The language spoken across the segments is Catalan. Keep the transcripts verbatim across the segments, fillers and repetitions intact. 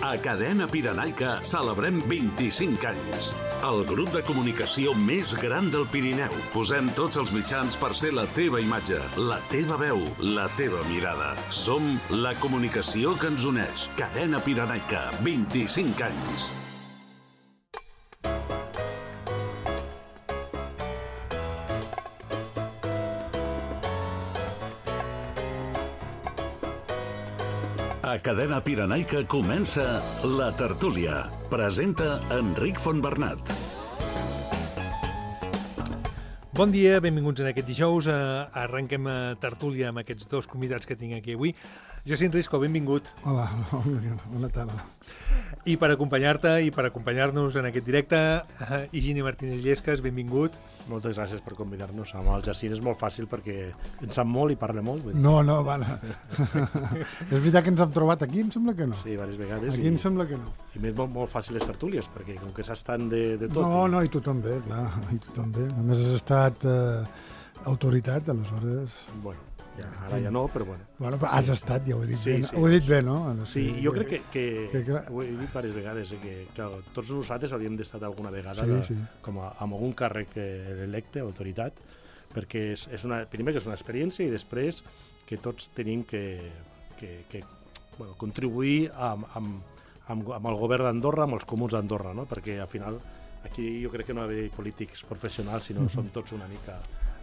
A Cadena Pirenaica celebrem vint-i-cinc anys. El grup de comunicació més gran del Pirineu. Posem tots els mitjans per ser la teva imatge, la teva veu, la teva mirada. Som la comunicació que ens uneix. Cadena Pirenaica, vint-i-cinc anys. A Cadena Pirenaica comença La Tertúlia. Presenta Enric Fontbernat. Bon dia, benvinguts en aquest dijous. Arrenquem a Tertúlia amb aquests dos convidats que tinc aquí avui. Jacint Risco, benvingut. Hola, bona tarda. I per acompanyar-te i per acompanyar-nos en aquest directe, Higini Martínez Llescas, benvingut. Moltes gràcies per convidar-nos. Amb el Jacint és molt fàcil perquè en sap molt i parla molt. No, no, vale. És veritat que ens hem trobat aquí? Em sembla que no. Sí, diverses vegades. Aquí i, em sembla que no. I més molt, molt fàcil les tertúlies, perquè com que saps tant de, de tot... No, i... no, i tu també, clar, i tu també. A més has estat eh, autoritat, aleshores... Bueno, ja, ara ja no, però bueno. Bueno, però has estat, ja ho he dit sí, bé, sí, ho he dit bé, no? no sí, sí, jo crec que, que, que, que... ho he dit diverses vegades, eh, que, que tots nosaltres hauríem d'estar alguna vegada sí, de, sí. com a, amb algun càrrec electe, autoritat, perquè és, és una, primer que és una experiència i després que tots tenim que, que, que bueno, contribuir amb, amb, amb, amb el govern d'Andorra, amb els comuns d'Andorra, no? Perquè al final aquí jo crec que no hi ha d'haver polítics professionals, sinó mm-hmm. som tots una mica...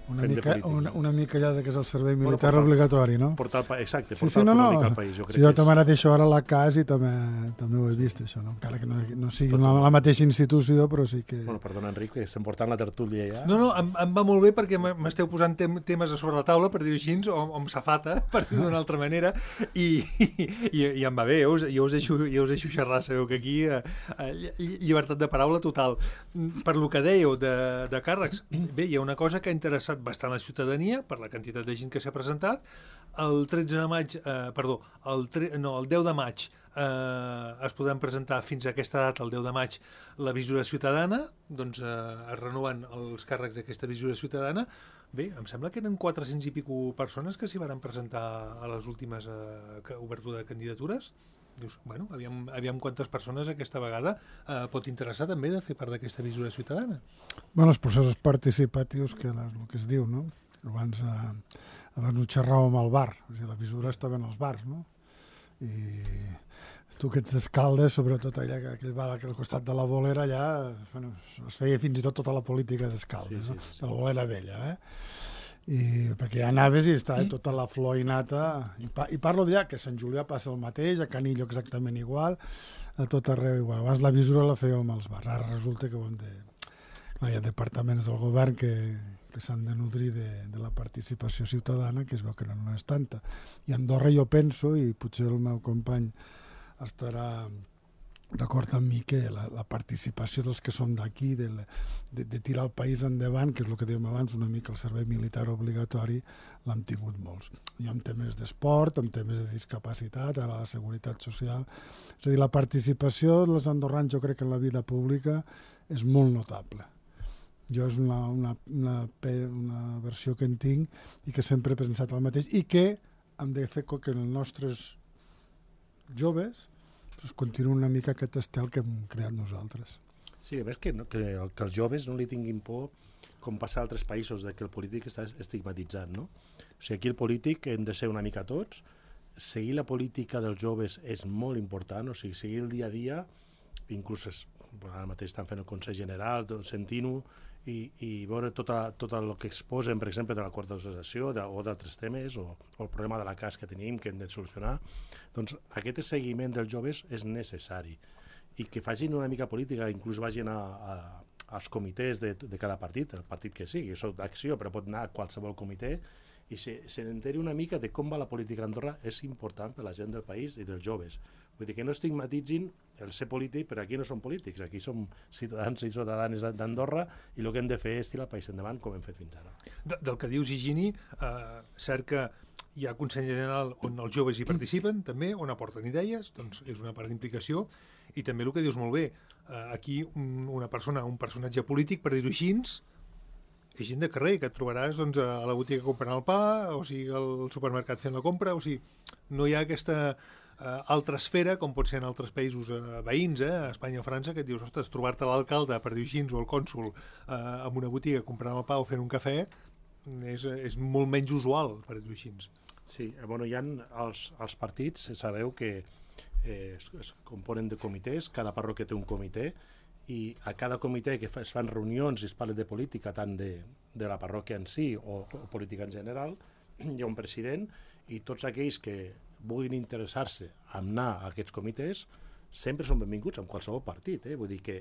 Una mica, una, una mica allà que és el servei militar bueno, portar, obligatori, no? Portar, exacte, sí, portar sí, no, una no. mica al país. Jo, crec sí, jo que també és... ara deixo ara la casa i també, també ho he sí. vist, això, no? Encara que no, no sigui la, la mateixa institució, però sí que... Bueno, perdona, Enric, que estem portant la tertúlia ja. No, no, em, em va molt bé perquè m'esteu posant tem temes a sobre la taula, per dir-ho així, o, o amb safata, per dir-ho d'una altra manera, i, i, i em va bé, jo us, jo us, deixo, jo us deixo xerrar, sabeu que aquí eh, llibertat de paraula total. Per lo que dèieu de, de càrrecs, bé, hi ha una cosa que ha interessat bastant la ciutadania, per la quantitat de gent que s'ha presentat. El tretze de maig, eh, perdó, el, tre no, el deu de maig eh, es podran presentar fins a aquesta data, el deu de maig, la visura ciutadana, doncs eh, es renoven els càrrecs d'aquesta visura ciutadana. Bé, em sembla que eren quatre-cents i pico persones que s'hi van presentar a les últimes eh, obertura de candidatures. Dius, bueno, aviam, aviam quantes persones aquesta vegada eh, pot interessar també de fer part d'aquesta visura ciutadana. Bueno, els processos participatius, que és el que es diu, no? Abans, eh, abans ho xerràvem al bar, o sigui, la visura estava en els bars, no? I tu que ets d'Escaldes, sobretot allà, aquell bar al costat de la Bolera, allà bueno, es feia fins i tot tota la política d'Escaldes, sí, sí, sí, sí. No? De la Bolera Vella, eh? I, perquè ja anaves i estava tota la flor i nata, i, pa, i parlo d'allà que a Sant Julià passa el mateix, a Canillo exactament igual, a tot arreu igual. Abans la visura la fèiem als bars, ara resulta que ho hem de... Clar, hi ha departaments del govern que, que s'han de nodrir de, de la participació ciutadana, que es veu que no, no és tanta. I a Andorra jo penso, i potser el meu company estarà d'acord amb mi, que la, la participació dels que som d'aquí, de, de, de tirar el país endavant, que és el que dèiem abans, una mica el servei militar obligatori, l'hem tingut molts. I en temes d'esport, en temes de discapacitat, ara la seguretat social. És a dir, la participació dels andorrans, jo crec que en la vida pública és molt notable. Jo és una, una, una, una versió que en tinc i que sempre he pensat el mateix i que hem de fer que els nostres joves pues, continuïn una mica aquest estel que hem creat nosaltres. Sí, a més que, no, que, que els joves no li tinguin por, com passa a altres països, de que el polític està estigmatitzat, no? O sigui, aquí el polític hem de ser una mica tots, seguir la política dels joves és molt important, o sigui, seguir el dia a dia, inclús és, bueno, ara mateix estan fent el Consell General, sentint-ho, i, i veure tot, a, tot el que exposen, per exemple, de la quarta associació de, o d'altres temes, o, o el problema de la cas que tenim, que hem de solucionar, doncs aquest seguiment dels joves és necessari. I que facin una mica política, inclús vagin a, a, als comitès de, de cada partit, el partit que sigui, soc d'acció, però pot anar a qualsevol comitè, i se, se n'enteri una mica de com va la política a Andorra és important per la gent del país i dels joves. Vull dir que no estigmatitzin el ser polític, però aquí no som polítics, aquí som ciutadans i ciutadanes d'Andorra i el que hem de fer és tirar el país endavant com hem fet fins ara. De, del que dius, Higini, eh, cert que hi ha Consell General on els joves hi participen, també, on aporten idees, doncs és una part d'implicació, i també el que dius molt bé, eh, aquí un, una persona, un personatge polític, per dir-ho així, és gent de carrer, que et trobaràs doncs, a la botiga comprant el pa, o sigui, al supermercat fent la compra, o sigui, no hi ha aquesta eh, altra esfera, com pot ser en altres països eh, veïns, eh, a Espanya o França, que et dius, ostres, trobar-te l'alcalde, per dir així, o el cònsol eh, en una botiga comprant el pa o fent un cafè, és, és molt menys usual, per dir així. Sí, bueno, hi ha els, els partits, sabeu que eh, es, es componen de comitès, cada parròquia té un comitè, i a cada comitè que fa, es fan reunions i es parla de política, tant de, de la parròquia en si o, o política en general, hi ha un president, i tots aquells que vulguin interessar-se en anar a aquests comitès sempre són benvinguts amb qualsevol partit. Eh? Vull dir que,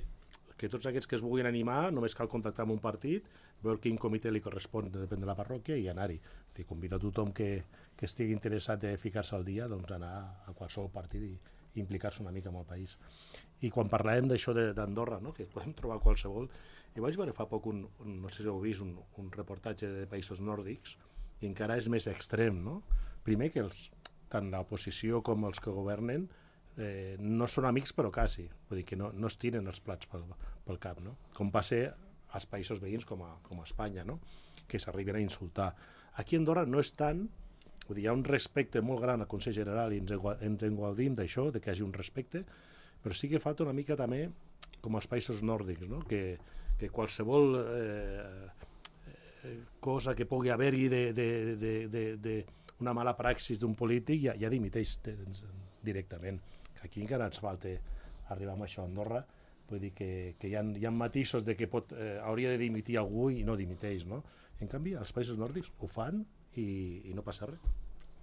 que tots aquests que es vulguin animar només cal contactar amb un partit, veure quin comitè li correspon, depèn de la parròquia, i anar-hi. Convida a tothom que, que estigui interessat de ficar-se al dia, doncs anar a qualsevol partit i, i implicar-se una mica amb el país. I quan parlàvem d'això d'Andorra, no? Que podem trobar qualsevol, i vaig veure fa poc un, un no sé si heu vist, un, un reportatge de països nòrdics, i encara és més extrem, no? Primer que els, tant l'oposició com els que governen eh, no són amics però quasi, vull dir que no, no es tiren els plats pel, pel cap, no? Com passa als països veïns com a, com a Espanya, no? Que s'arriben a insultar. Aquí a Andorra no és tant, vull dir, hi ha un respecte molt gran al Consell General i ens, ens engaudim d'això, de que hi hagi un respecte, però sí que falta una mica també com als països nòrdics, no? que, que qualsevol eh, cosa que pugui haver-hi d'una mala praxis d'un polític ja, ja dimiteix directament. Aquí encara ens falta arribar amb això a Andorra, vull dir que, que hi, ha, hi ha matisos de que pot, eh, hauria de dimitir algú i no dimiteix, no? En canvi, els països nòrdics ho fan i, i no passa res.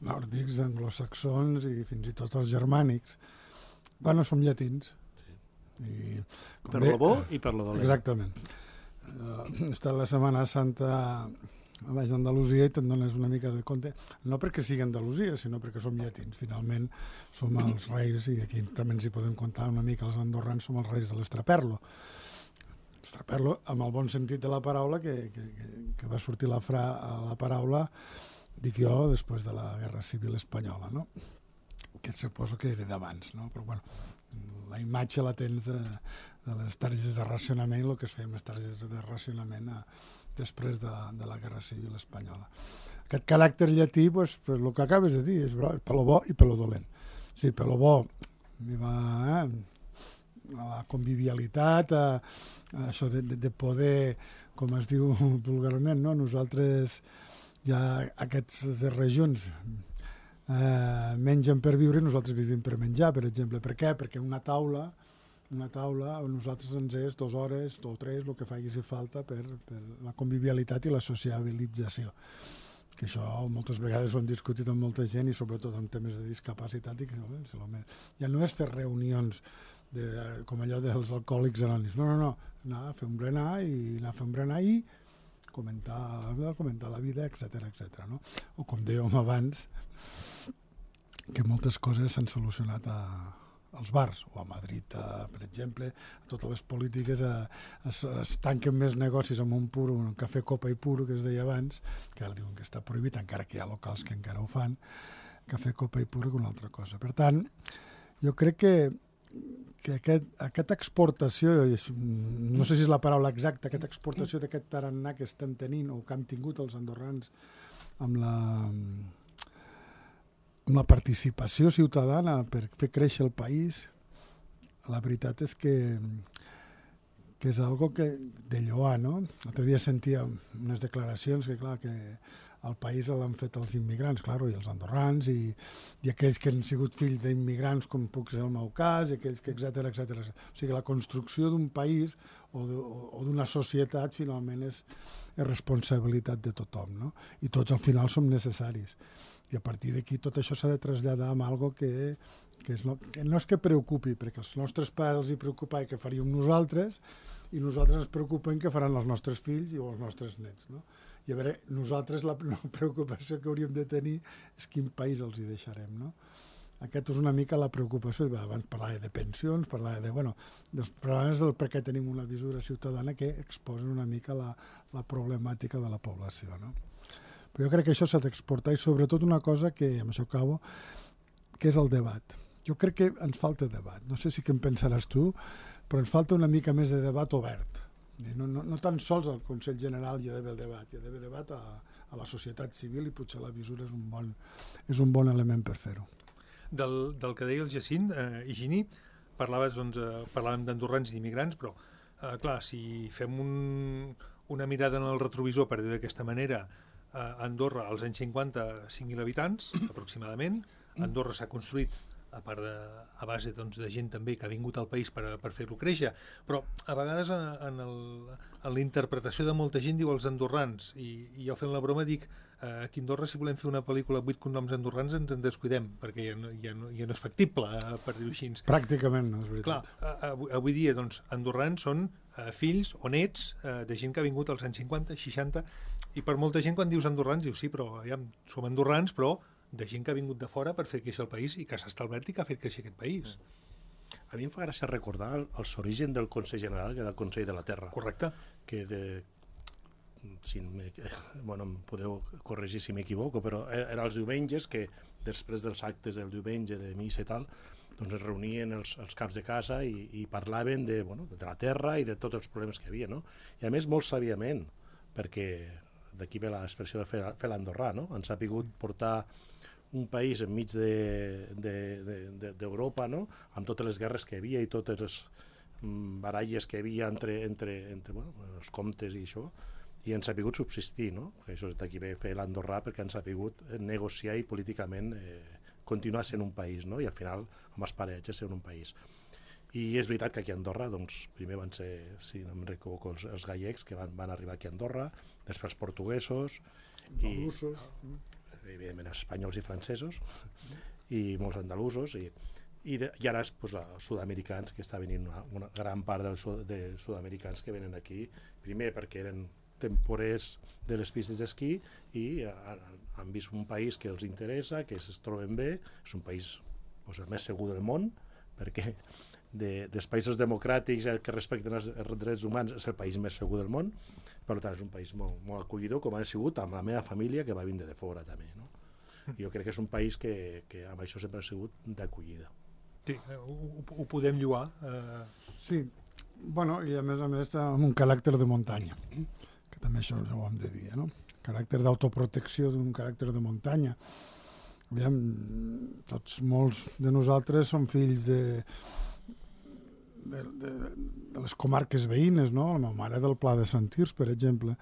Nòrdics, anglosaxons i fins i tot els germànics. Bueno, som llatins. Sí. I, per lo bo i per lo dolent. Exactament. Uh, he estat la Setmana Santa a baix d'Andalusia i te'n dones una mica de compte, no perquè sigui Andalusia, sinó perquè som llatins. Finalment som els reis, i aquí també ens hi podem comptar una mica, els andorrans som els reis de l'estraperlo. L'estraperlo, amb el bon sentit de la paraula, que, que, que va sortir la, fra, la paraula, dic jo, després de la Guerra Civil Espanyola, no? Que suposo que era d'abans, no? Però bueno, la imatge la tens de, de les targetes de racionament, el que es feia amb les targetes de racionament a, després de, de la Guerra Civil Espanyola. Aquest caràcter llatí, pues, pues, el que acabes de dir, és per lo bo i per lo dolent. Sí, per lo bo, hi va, eh, la convivialitat, a, a això de, de, de poder, com es diu vulgarment, no? Nosaltres ja aquestes regions eh, mengen per viure, nosaltres vivim per menjar, per exemple. Per què? Perquè una taula, una taula, nosaltres ens és dues hores o tres, el que faci si falta, per, per la convivialitat i la sociabilització. Que això moltes vegades ho hem discutit amb molta gent i sobretot en temes de discapacitat, i que no, ja no és fer reunions de, com allò dels alcohòlics anònims, no, no, no, anar a fer un berenar i anar a fer un berenar i comentar, comentar la vida, etcètera, etcètera, no? O com dèiem abans, que moltes coses s'han solucionat a, als bars, o a Madrid, a, per exemple, a totes les polítiques a, es, es tanquen més negocis amb un puro, un cafè copa i puro, que es deia abans, que ara diuen que està prohibit, encara que hi ha locals que encara ho fan, cafè copa i puro que una altra cosa. Per tant, jo crec que que aquest, aquesta exportació, no sé si és la paraula exacta, aquesta exportació d'aquest tarannà que estem tenint o que han tingut els andorrans amb la, amb la participació ciutadana per fer créixer el país, la veritat és que, que és algo que, de lloar, no? L'altre dia sentia unes declaracions que, clar, que el país l'han fet els immigrants, clar, i els andorrans, i, i aquells que han sigut fills d'immigrants, com puc ser el meu cas, i aquells que, etcètera, etcètera. O sigui, la construcció d'un país o d'una societat, finalment, és, és responsabilitat de tothom, no? I tots, al final, som necessaris. I a partir d'aquí tot això s'ha de traslladar amb algo que, que, és no, que no és que preocupi, perquè els nostres pares els hi preocupa que faríem nosaltres, i nosaltres ens preocupem que faran els nostres fills o els nostres nets, no? I a veure, nosaltres la preocupació que hauríem de tenir és quin país els hi deixarem, no? Aquesta és una mica la preocupació. Abans parlava de pensions, parlava de, bueno, dels problemes del per què tenim una visura ciutadana que exposen una mica la, la problemàtica de la població, no? Però jo crec que això s'ha d'exportar, i sobretot una cosa que, amb això acabo, que és el debat. Jo crec que ens falta debat. No sé si què en pensaràs tu, però ens falta una mica més de debat obert. No, no, no tan sols al Consell General hi ha d'haver el debat, hi ha d'haver debat a, a la societat civil, i potser la visura és un bon, és un bon element per fer-ho. del, del que deia el Jacint, eh, Higini, parlaves, doncs, eh, parlàvem d'andorrans i d'immigrants, però, eh, clar, si fem un, una mirada en el retrovisor, per dir d'aquesta manera, eh, Andorra, als anys cinquanta, cinc mil habitants, aproximadament. Andorra s'ha construït a part de, a base doncs, de gent també que ha vingut al país per, per fer-lo créixer, però a vegades en, el, en la interpretació de molta gent diu els andorrans, i, i jo fent la broma dic eh, aquí a Andorra si volem fer una pel·lícula amb vuit cognoms andorrans ens en descuidem, perquè ja no, ja no, ja no és factible, eh, per dir-ho així. Pràcticament no, és veritat. Clar, avui, avui dia doncs, andorrans són eh, fills o nets eh, de gent que ha vingut als anys cinquanta, seixanta, i per molta gent quan dius andorrans dius sí, però ja som andorrans, però de gent que ha vingut de fora per fer créixer el país i que s'ha establert i que ha fet créixer aquest país. A mi em fa gràcia recordar els orígens del Consell General, que era el Consell de la Terra. Correcte. Que de... Si bueno, em podeu corregir si m'equivoco, però era els diumenges que, després dels actes del diumenge de missa i tal, doncs es reunien els, els caps de casa i, i parlaven de, bueno, de la terra i de tots els problemes que hi havia, no? I a més molt sàviament, perquè d'aquí ve l'expressió de fer, fer l'andorrà, no? Han sabut portar un país enmig d'Europa, no? Amb totes les guerres que hi havia i totes les baralles que hi havia entre, entre, entre bueno, els comtes i això, i han sabut subsistir, no? Que això d'aquí ve fer l'andorrà perquè han sabut negociar i políticament eh, continuar sent un país, no? I al final, amb els paratges, ser un país. I és veritat que aquí a Andorra, doncs, primer van ser, si no em recordo, els, els gallecs que van, van arribar aquí a Andorra, després els portuguesos, i, evidentment els espanyols i francesos, i molts andalusos, i, i, de, i ara pues, els sud-americans, que està venint una, una gran part dels de sud-americans que venen aquí, primer perquè eren temporers de les pistes d'esquí i han, han vist un país que els interessa, que es troben bé, és un país pues, el més segur del món, perquè de, dels països democràtics que respecten els drets humans és el país més segur del món, per tant és un país molt, molt acollidor, com ha sigut amb la meva família que va vindre de fora també, no? Jo crec que és un país que, que amb això sempre ha sigut d'acollida. Sí, ho, ho podem lloar. Eh... Sí, bueno, i a més a més amb un caràcter de muntanya, que també això ho hem de dir, no? Caràcter d'autoprotecció d'un caràcter de muntanya. Aviam, tots, molts de nosaltres som fills de, de, de, de les comarques veïnes, no? La meva mare del Pla de Sant Tirs, per exemple.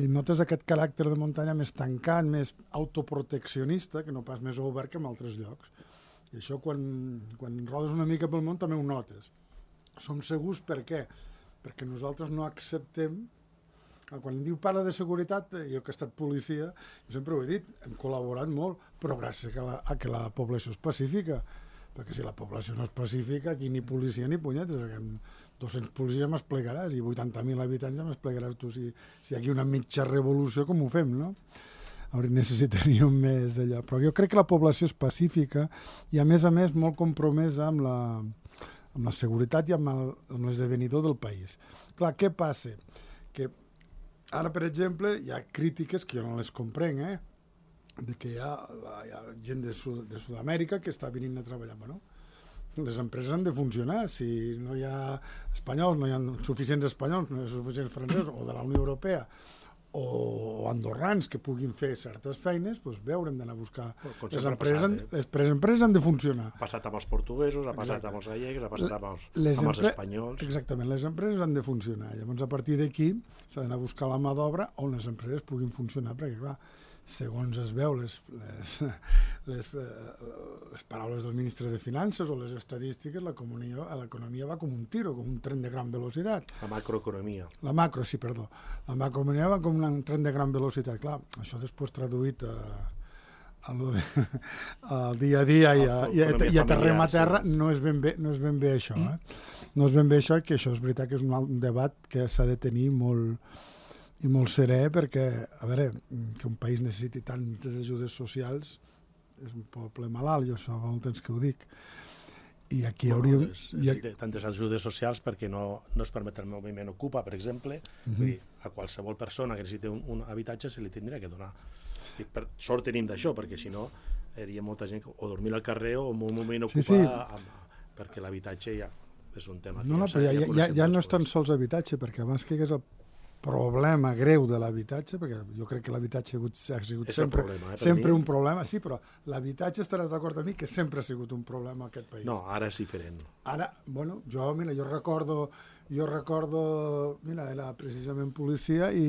I notes aquest caràcter de muntanya més tancat, més autoproteccionista, que no pas més obert que en altres llocs. I això quan, quan rodes una mica pel món també ho notes. Som segurs per què? Perquè nosaltres no acceptem. Quan em diu parla de seguretat, jo que he estat policia, jo sempre ho he dit, hem col·laborat molt, però gràcies a, la, a que la població és pacífica, perquè si la població no és pacífica, aquí ni policia ni punyetes, perquè amb dos-cents policies m'esplegaràs i vuitanta mil habitants ja m'esplegaràs tu si, si hi ha aquí una mitja revolució, com ho fem, no? Necessitaríem més d'allò, però jo crec que la població és pacífica i a més a més molt compromesa amb la, amb la seguretat i amb el, amb l'esdevenidor del país. Clar, què passa? Que ara, per exemple, hi ha crítiques que jo no les comprenc, eh? De que hi ha, hi ha gent de, Sud, de Sud-amèrica que està venint a treballar. Bueno, les empreses han de funcionar. Si no hi ha espanyols, no hi ha suficients espanyols, no hi ha suficients francesos, o de la Unió Europea, o andorrans que puguin fer certes feines, doncs bé, haurem d'anar a buscar. Les empreses, han, les empreses han de funcionar. Ha passat amb els portuguesos, ha passat Exacte. amb els gallecs, ha passat amb els, les amb els espanyols. Exactament, les empreses han de funcionar. Llavors, a partir d'aquí, s'ha d'anar a buscar la mà d'obra on les empreses puguin funcionar, perquè, clar, segons es veu les, les, les, les paraules del ministre de Finances o les estadístiques, l'economia va com un tiro, com un tren de gran velocitat. La macroeconomia. La macro, sí, perdó. La macroeconomia va com un tren de gran velocitat. Clar, això després traduït a, a lo de, al dia a dia i a, i a, i a terrem a terra no és ben bé, no és ben bé això. Eh? No és ben bé això i que això és veritat que és un debat que s'ha de tenir molt i molt serè, perquè, a veure, que un país necessiti tantes ajudes socials és un poble malalt, jo això fa molt temps que ho dic. I aquí bueno, hauríem... Necessita tantes ajudes socials perquè no, no es permet el moviment Ocupa, per exemple. Uh-huh. Vull dir, a qualsevol persona que necessiti un, un habitatge se li tindria que donar. I per sort tenim d'això, perquè si no, hi hauria molta gent que o dormir al carrer o en un moment Ocupa, sí, sí. Amb, perquè l'habitatge ja és un tema... No, no, però ja, ja, ja, ja no és tan sols habitatge, perquè abans que hagués el problema greu de l'habitatge, perquè jo crec que l'habitatge ha sigut, ha sigut sempre, problema, eh, sempre mi. un problema, sí, però l'habitatge estaràs d'acord amb mi que sempre ha sigut un problema en aquest país. No, ara és diferent. Ara, bueno, jo, mira, jo recordo, jo recordo, mira, era precisament policia i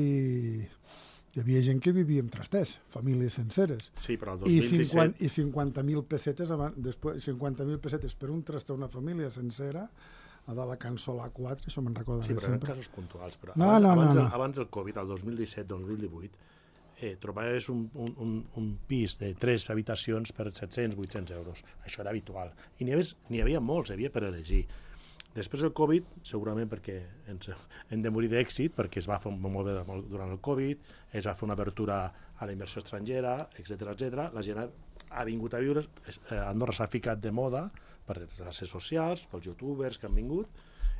hi havia gent que vivia en trasters, famílies senceres. Sí, però el dos mil disset... I cinquanta mil pessetes, abans, després, cinquanta mil pessetes per un traster una família sencera, a de la Cançó la quatre, això me'n recorda sí, de però sempre. eren casos puntuals. Però no, abans, no, abans, no, no. abans del Covid, el dos mil disset dos mil divuit, eh, trobaves un, un, un, un pis de tres habitacions per set-cents vuit-cents euros. Això era habitual. I n'hi havia, n'hi havia molts, hi havia per elegir. Després del Covid, segurament perquè ens hem de morir d'èxit, perquè es va fer molt bé durant el Covid, es va fer una abertura a la inversió estrangera, etcètera, etcètera. La gent ha, ha vingut a viure, Andorra s'ha ficat de moda per les xarxes socials, pels youtubers que han vingut,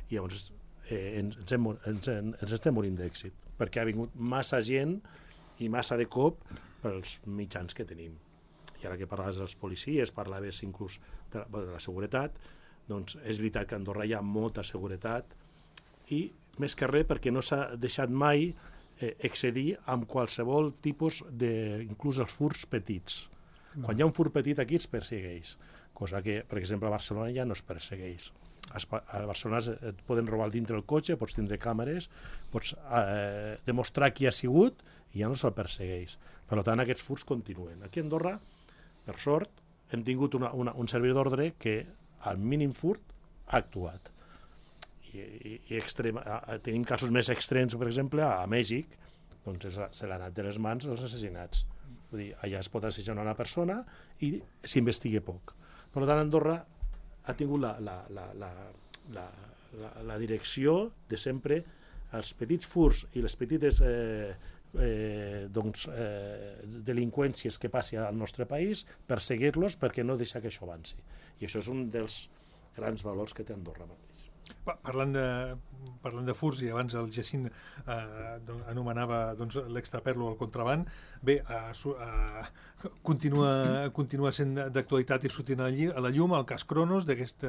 i llavors eh, ens, ens, ens, ens estem morint d'èxit, perquè ha vingut massa gent i massa de cop pels mitjans que tenim. I ara que parlaves dels policies, parlaves inclús de la, de la seguretat, doncs és veritat que a Andorra hi ha molta seguretat i més que res perquè no s'ha deixat mai eh, excedir amb qualsevol tipus de, inclús els furs petits. No. Quan hi ha un fur petit aquí es persegueix, cosa que, per exemple, a Barcelona ja no es persegueix. A Barcelona et poden robar dintre el cotxe, pots tindre càmeres, pots eh, demostrar qui ha sigut i ja no se'l persegueix. Per tant, aquests furs continuen. Aquí a Andorra, per sort, hem tingut una, una, un servidor d'ordre que al mínim furt ha actuat. I, i, i extrema, tenim casos més extrems, per exemple, a, a Mèxic, doncs se l'ha anat de les mans els assassinats. Vull dir, allà es pot assassinar una persona i s'investiga poc. Per tant, Andorra ha tingut la, la, la, la, la, la, la direcció de sempre els petits furs i les petites eh, eh, doncs, eh, delinqüències que passi al nostre país, perseguir-los perquè no deixa que això avanci. I això és un dels grans valors que té Andorra mateix. Parlant de, parlant de furs, i abans el Jacint eh, doncs, anomenava doncs, l'extraperlo, el contraban, bé, eh, eh, continua, continua sent d'actualitat i sortint a la llum el cas Cronos, d'aquest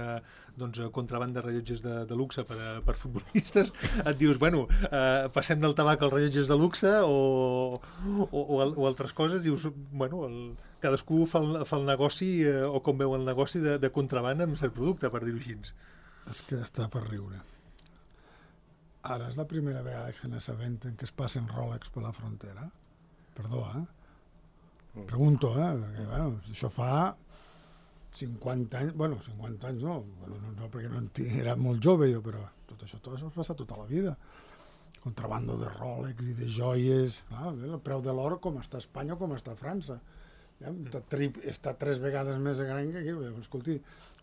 doncs, contraban de rellotges de, de luxe per, a, per futbolistes. Et dius, bueno, eh, passem del tabac als rellotges de luxe o, o, o, o altres coses, dius, bueno, el, cadascú fa el, fa el negoci eh, o com veu el negoci de, de contraban amb cert producte, per dir-ho així. És que està per riure. Ara és la primera vegada que n'assabenten que es passen Rolex per la frontera. Perdó, eh? Pregunto, eh? Perquè, bueno, això fa cinquanta anys, bueno, cinquanta anys no, bueno, no, no perquè no era molt jove jo, però tot això tot això ha passat tota la vida. Contrabando de Rolex i de joies, ah, el preu de l'or com està a Espanya o com està a França. Ja, està, tri, està tres vegades més gran que aquí. Escolti,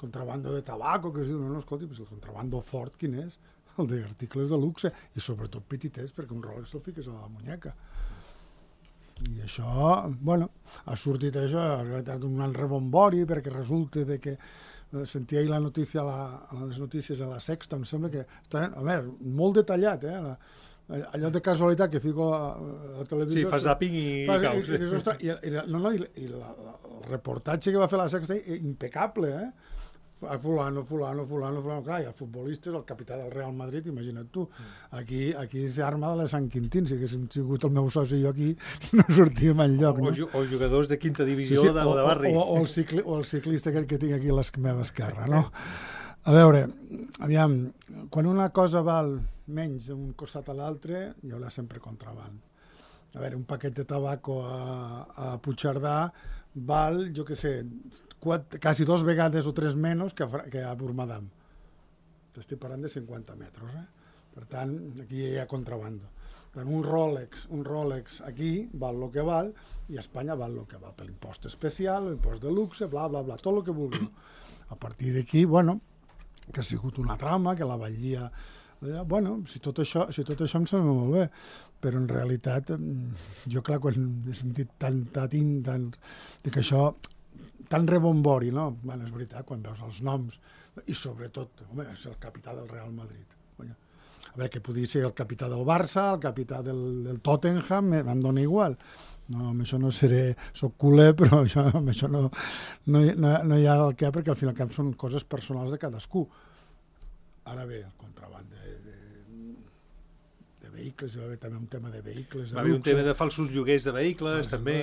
contrabando de tabaco, que es diu, no, no, escolti, pues el contrabando fort quin és? El d'articles de luxe, i sobretot petitets, perquè un Rolex el fiques a la muñeca. I això, bueno, ha sortit això, ha estat un gran rebombori, perquè resulta de que sentia ahir la notícia a, la, a les notícies de la Sexta, em sembla que està, a veure, molt detallat, eh, la, allò de casualitat que fico a la televisió... Sí, fas zapping i, fa, i caus. I, i, ostres, i, i, no, no, i, i la, la, el reportatge que va fer la Sexta, impecable, eh? A fulano, fulano, fulano, fulano, clar, i el futbolista és el capità del Real Madrid, imagina't tu. Aquí, aquí s'arma de la Sant Quintín, si haguéssim sigut el meu soci i jo aquí, no sortíem enlloc. O, no? o jugadors de quinta divisió sí, sí, de, o, de barri. O, o, el cicli, o el ciclista aquell que tinc aquí a la meva esquerra, no? A veure, aviam, quan una cosa val menys d'un costat a l'altre, hi haurà sempre contraband. A veure, un paquet de tabaco a, a Puigcerdà val, jo què sé, quatre, quasi dos vegades o tres menys que a, que a Burmadam. Estic parlant de cinquanta metres, eh? Per tant, aquí hi ha contrabando. Per tant, un Rolex, un Rolex aquí val el que val i a Espanya val el que val per l'impost especial, l'impost de luxe, bla, bla, bla, tot el que vulgueu. A partir d'aquí, bueno, que ha sigut una trama, que la batllia... Bueno, si tot això, si tot això em sembla molt bé, però en realitat jo, clar, quan he sentit tant, tant, tant, que això, tan rebombori, no? Bueno, és veritat, quan veus els noms, i sobretot, home, és el capità del Real Madrid. A veure, que podria ser el capità del Barça, el capità del, del Tottenham, em dona igual. No, amb això no seré, soc culer, però això, amb això no, no, no, no hi ha el que, perquè al final cap són coses personals de cadascú. Ara bé, el contraband de, de, de vehicles, hi va haver també un tema de vehicles de va haver un luxe. tema de falsos lloguers de vehicles, també.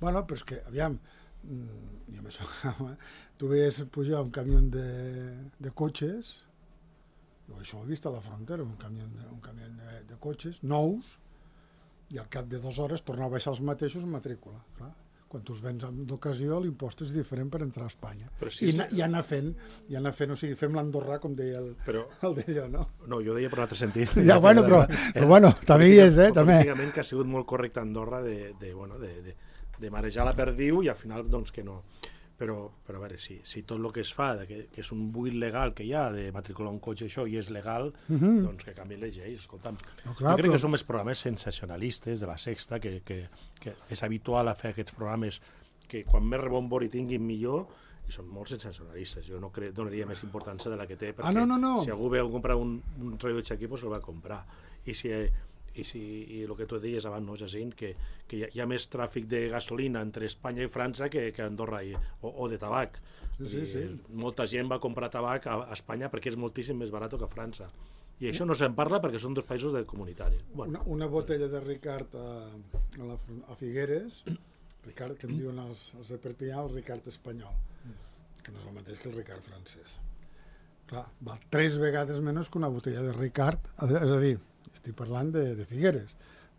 Bueno, però és que, aviam, i amb això, tu veies pujar un camió de, de cotxes, jo això ho he vist a la frontera, un camió de, un camió de, de cotxes nous, i al cap de dues hores tornar a baixar els mateixos en matrícula, clar. Quan tu els vens d'ocasió, l'impost és diferent per entrar a Espanya. Sí, I, sí. I anar fent, i anar fent, o sigui, fem l'Andorrà, com deia el, però, el d'allò, no? No, jo deia per un altre sentit. Ja, bueno, però, però bueno, també hi és, eh, també. Políticament que ha sigut molt correcte Andorra de, de, bueno, de, de, de marejar la perdiu i al final, doncs, que no. Però, però a veure, si, si tot el que es fa, que, que és un buit legal que hi ha de matricular un cotxe això i és legal, uh-huh. doncs que canvien les lleis. Escolta'm, no, clar, jo crec però... que són més programes sensacionalistes de la Sexta, que, que, que és habitual a fer aquests programes que quan més rebombori tinguin millor, i són molt sensacionalistes. Jo no crec, donaria més importància de la que té, perquè ah, no, no, no. si algú veu comprar un, un rellotge aquí, doncs el va comprar. I si... I, si, i el que tu deies abans, no, Jacint, que, que hi, ha, hi ha més tràfic de gasolina entre Espanya i França que, que Andorra, i, o, o de tabac. Sí, sí, sí. Molta gent va comprar tabac a, a Espanya perquè és moltíssim més barat que a França. I això no se'n parla perquè són dos països de comunitaris. Bueno. Una, una botella de Ricard a, a, la, a Figueres, Ricard, que en diuen els, els de Perpinyà, el Ricard espanyol, que no és el mateix que el Ricard francès. Clar, val tres vegades menys que una botella de Ricard, és a dir, estic parlant de, de Figueres.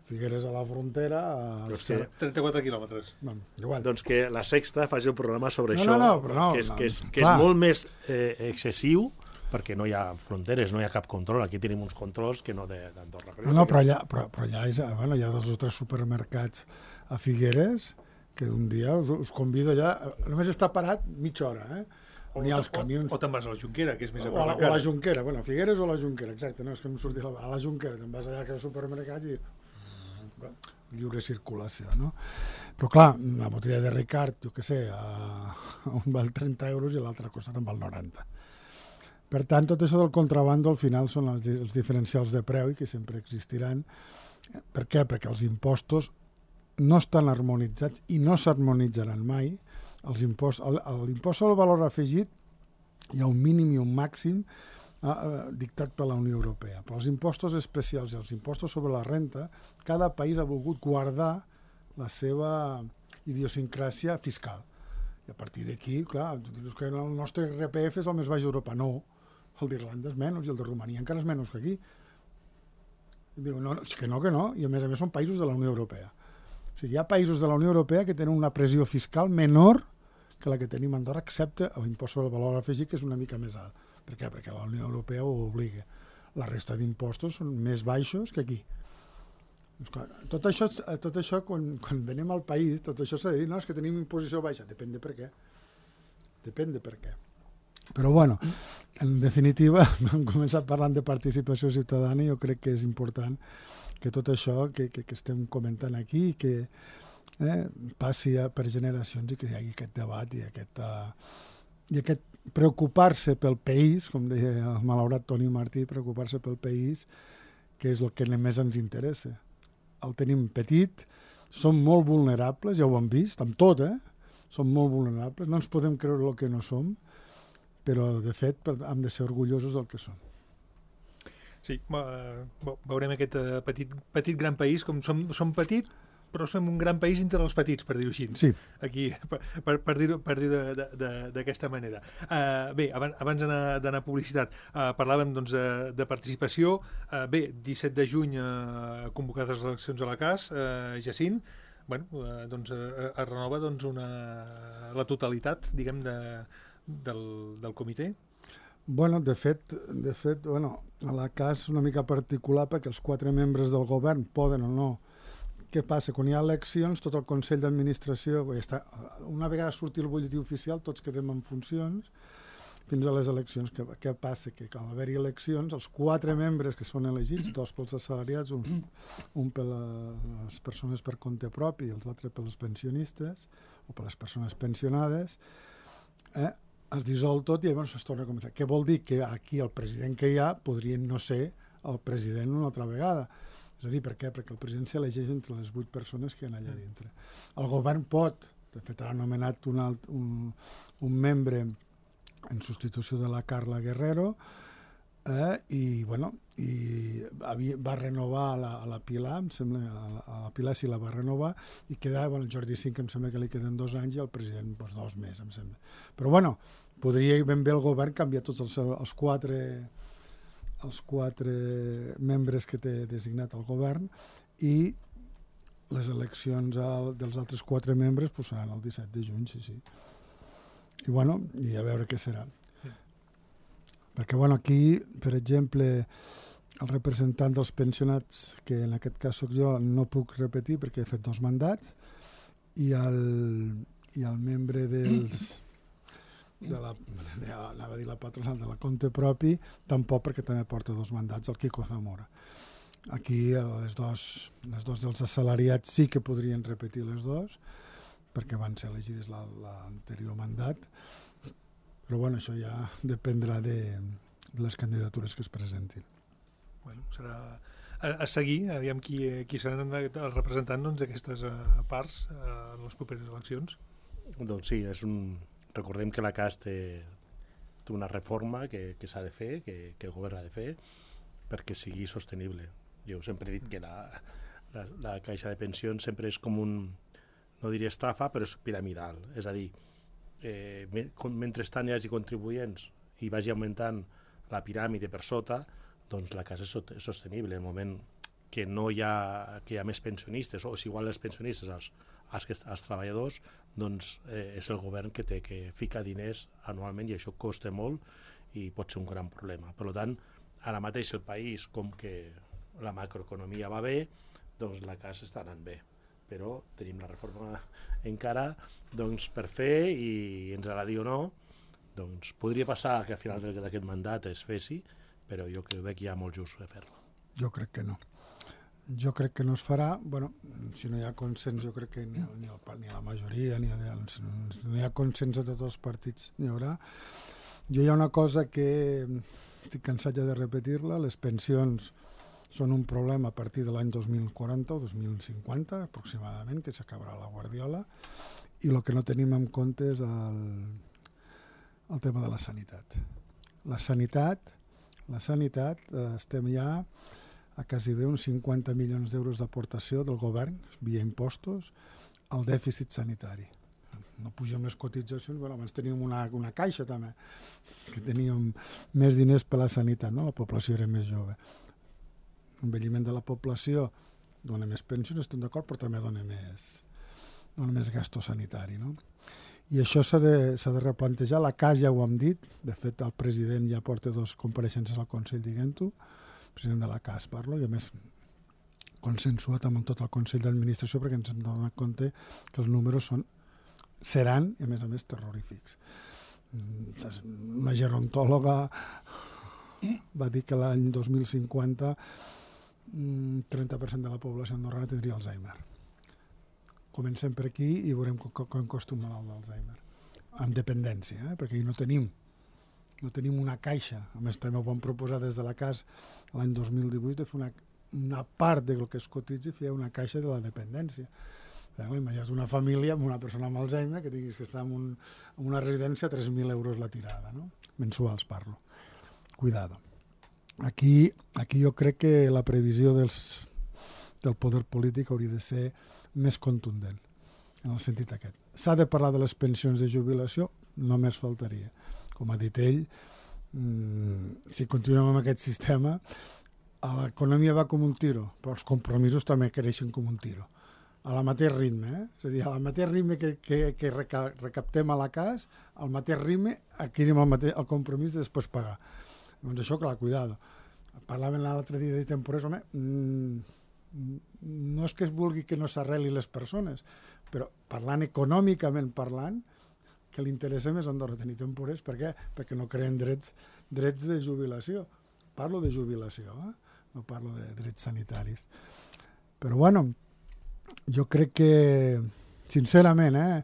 Figueres a la frontera... A doncs que, trenta-quatre quilòmetres. Bueno, igual. Doncs que la Sexta faci un programa sobre no, això, no, no, però no, que, és, no, que, és, que és molt més eh, excessiu, perquè no hi ha fronteres, no hi ha cap control. Aquí tenim uns controls que no d'Andorra. No, no, però allà, però, però allà és, bueno, hi ha dos o tres supermercats a Figueres que un dia us, us convido allà, només està parat mitja hora, eh? On hi ha els camions... O, o te'n vas a la Junquera, que és més a o a la, o a la Junquera, bueno, Figueres o a la Junquera, exacte, no, és que em sortia la... A la Junquera, te'n vas allà que al supermercat i... lliure circulació, no? Però clar, la botella de Ricard, jo què sé, a... un val trenta euros i l'altra costa te'n val noranta. Per tant, tot això del contrabando al final són els, els diferencials de preu i que sempre existiran. Per què? Perquè els impostos no estan harmonitzats i no s'harmonitzaran mai. Els impost, l'impost sobre el valor afegit hi ha un mínim i un màxim eh, dictat per la Unió Europea, però els impostos especials i els impostos sobre la renta, cada país ha volgut guardar la seva idiosincràsia fiscal. I a partir d'aquí, clar, tu dius que el nostre R P F és el més baix d'Europa. No, el d'Irlanda és menys i el de Romania encara és menys que aquí. I diu, no, és que no, que no, i a més a més són països de la Unió Europea. O sigui, hi ha països de la Unió Europea que tenen una pressió fiscal menor que la que tenim a Andorra, excepte l'impost sobre el valor afegit, que és una mica més alt. Per què? Perquè la Unió Europea ho obliga. La resta d'impostos són més baixos que aquí. Tot això, tot això quan, quan venim al país, tot això s'ha de dir, no, és que tenim imposició baixa. Depèn de per què. Depèn de per què. Però, bueno, en definitiva, hem començat parlant de participació ciutadana i jo crec que és important que tot això que, que, que estem comentant aquí, que eh, passi per generacions i que hi hagi aquest debat i aquest, uh, i aquest preocupar-se pel país, com deia el malaurat Toni Martí, preocupar-se pel país, que és el que més ens interessa. El tenim petit, som molt vulnerables, ja ho hem vist, amb tot, eh? Som molt vulnerables, no ens podem creure el que no som, però, de fet, hem de ser orgullosos del que som. Sí, veurem aquest petit, petit gran país, com som, som petit, però som un gran país entre els petits, per dir-ho així. Sí. Aquí, per, per, per dir-ho per dir d'aquesta manera. Uh, bé, abans, abans d'anar a publicitat, uh, parlàvem doncs, de, de participació. Uh, bé, disset de juny uh, convocades les eleccions a la C A S, uh, Jacint, bueno, uh, doncs, uh, es renova doncs, una, la totalitat, diguem, de, del, del comitè. Bueno, de fet, de fet bueno, a la C A S és una mica particular perquè els quatre membres del govern poden o no. Què passa? Quan hi ha eleccions, tot el Consell d'Administració, una vegada surti el butlletí oficial, tots quedem en funcions fins a les eleccions. Què, què passa? Que quan haver-hi eleccions, els quatre membres que són elegits, dos pels assalariats, un, un per les persones per compte propi i els altres per les pensionistes o per les persones pensionades, eh, es dissol tot i llavors es torna a començar. Què vol dir? Que aquí el president que hi ha podria no ser el president una altra vegada. És a dir, per què? Perquè el president s'elegeix entre les vuit persones que hi ha allà dintre. El govern pot, de fet ha nomenat un, alt, un, un membre en substitució de la Carla Guerrero, Eh, i, bueno, i havia, va renovar a la, a la Pilar, em sembla, a la, a la Pilar sí la va renovar, i queda, bueno, el Jordi Cinc em sembla que li queden dos anys i el president doncs, dos més, em sembla. Però bueno, podria ben bé el govern canviar tots els, els quatre els quatre membres que té designat el govern i les eleccions al, dels altres quatre membres pues, seran el disset de juny, sí, sí. I bueno, i a veure què serà. Perquè, bueno, aquí, per exemple, el representant dels pensionats, que en aquest cas sóc jo, no puc repetir perquè he fet dos mandats, i el, i el membre dels, de la, de, anava a dir la patronal de la Compte Propi, tampoc perquè també porta dos mandats, el Quico Zamora. Aquí les dos, les dos dels assalariats sí que podrien repetir les dos, perquè van ser elegides l'anterior mandat, però bueno, això ja dependrà de, de les candidatures que es presentin. Bueno, serà a, a seguir, aviam qui, qui seran els representants doncs, d'aquestes uh, parts uh, en les properes eleccions. Doncs sí, és un... recordem que la C A S té, té una reforma que, que s'ha de fer, que, que el govern ha de fer, perquè sigui sostenible. Jo sempre he dit que la, la, la caixa de pensions sempre és com un, no diria estafa, però és piramidal. És a dir, eh, mentrestant hi hagi contribuents i vagi augmentant la piràmide per sota, doncs la casa és sostenible. En el moment que no hi ha, que hi ha més pensionistes, o és igual els pensionistes als, als, als treballadors, doncs eh, és el govern que té que ficar diners anualment i això costa molt i pot ser un gran problema. Per tant, ara mateix el país, com que la macroeconomia va bé, doncs la casa està anant bé. Però tenim la reforma encara doncs, per fer i ens agradi o no, doncs podria passar que al final d'aquest mandat es fessi, però jo crec que hi ha molt just de fer-lo. Jo crec que no. Jo crec que no es farà, bueno, si no hi ha consens, jo crec que ni, ni, el, ni la majoria, ni el, si no hi ha consens a tots els partits, n'hi haurà. Jo hi ha una cosa que estic cansat ja de repetir-la, les pensions són un problema a partir de l'any dos mil quaranta o dos mil cinquanta, aproximadament, que s'acabarà la Guardiola, i el que no tenim en compte és el, el tema de la sanitat. La sanitat, la sanitat, eh, estem ja a quasi bé uns cinquanta milions d'euros d'aportació del govern, via impostos, al dèficit sanitari. No pugem les cotitzacions, però abans teníem una, una caixa també, que teníem més diners per la sanitat, no? La població era més jove. L'envelliment de la població dona més pensions, estem d'acord, però també dona més, dona més gasto sanitari, no? I això s'ha de, s'ha de replantejar. La C A S ja ho hem dit, de fet el president ja porta dos compareixences al Consell, diguem-ho, president de la C A S parlo, i a més consensuat amb tot el Consell d'Administració perquè ens hem donat compte que els números són, seran, i a més a més, terrorífics. Una gerontòloga va dir que l'any dos mil cinquanta trenta per cent de la població andorrana tindria Alzheimer. Comencem per aquí i veurem com costa un malalt d'Alzheimer. Amb dependència, eh? Perquè no tenim no tenim una caixa. A més, també ho vam proposar des de la C A S l'any dos mil divuit de fer una, una part del que es cotitzi fer una caixa de la dependència. Imagina't una família amb una persona amb Alzheimer que tinguis que estar en, un, en una residència a tres mil euros la tirada, no? Mensuals parlo. Cuidado. Aquí, aquí jo crec que la previsió dels, del poder polític hauria de ser més contundent, en el sentit aquest. S'ha de parlar de les pensions de jubilació? Només faltaria. Com ha dit ell, mmm, si continuem amb aquest sistema, l'economia va com un tiro, però els compromisos també creixen com un tiro. A la mateix ritme, eh? És a dir, a la mateix ritme que, que, que recaptem a la C A S, al mateix ritme adquirim el, mateix, el compromís de després pagar. Doncs això, clar, cuidado. Parlaven l'altre dia de temporers, home, mmm, no és que es vulgui que no s'arreli les persones, però parlant econòmicament parlant, que li interessa més a Andorra tenir temporers. Per què? Perquè no creen drets, drets de jubilació. Parlo de jubilació, eh? No parlo de drets sanitaris. Però bueno, jo crec que, sincerament, eh,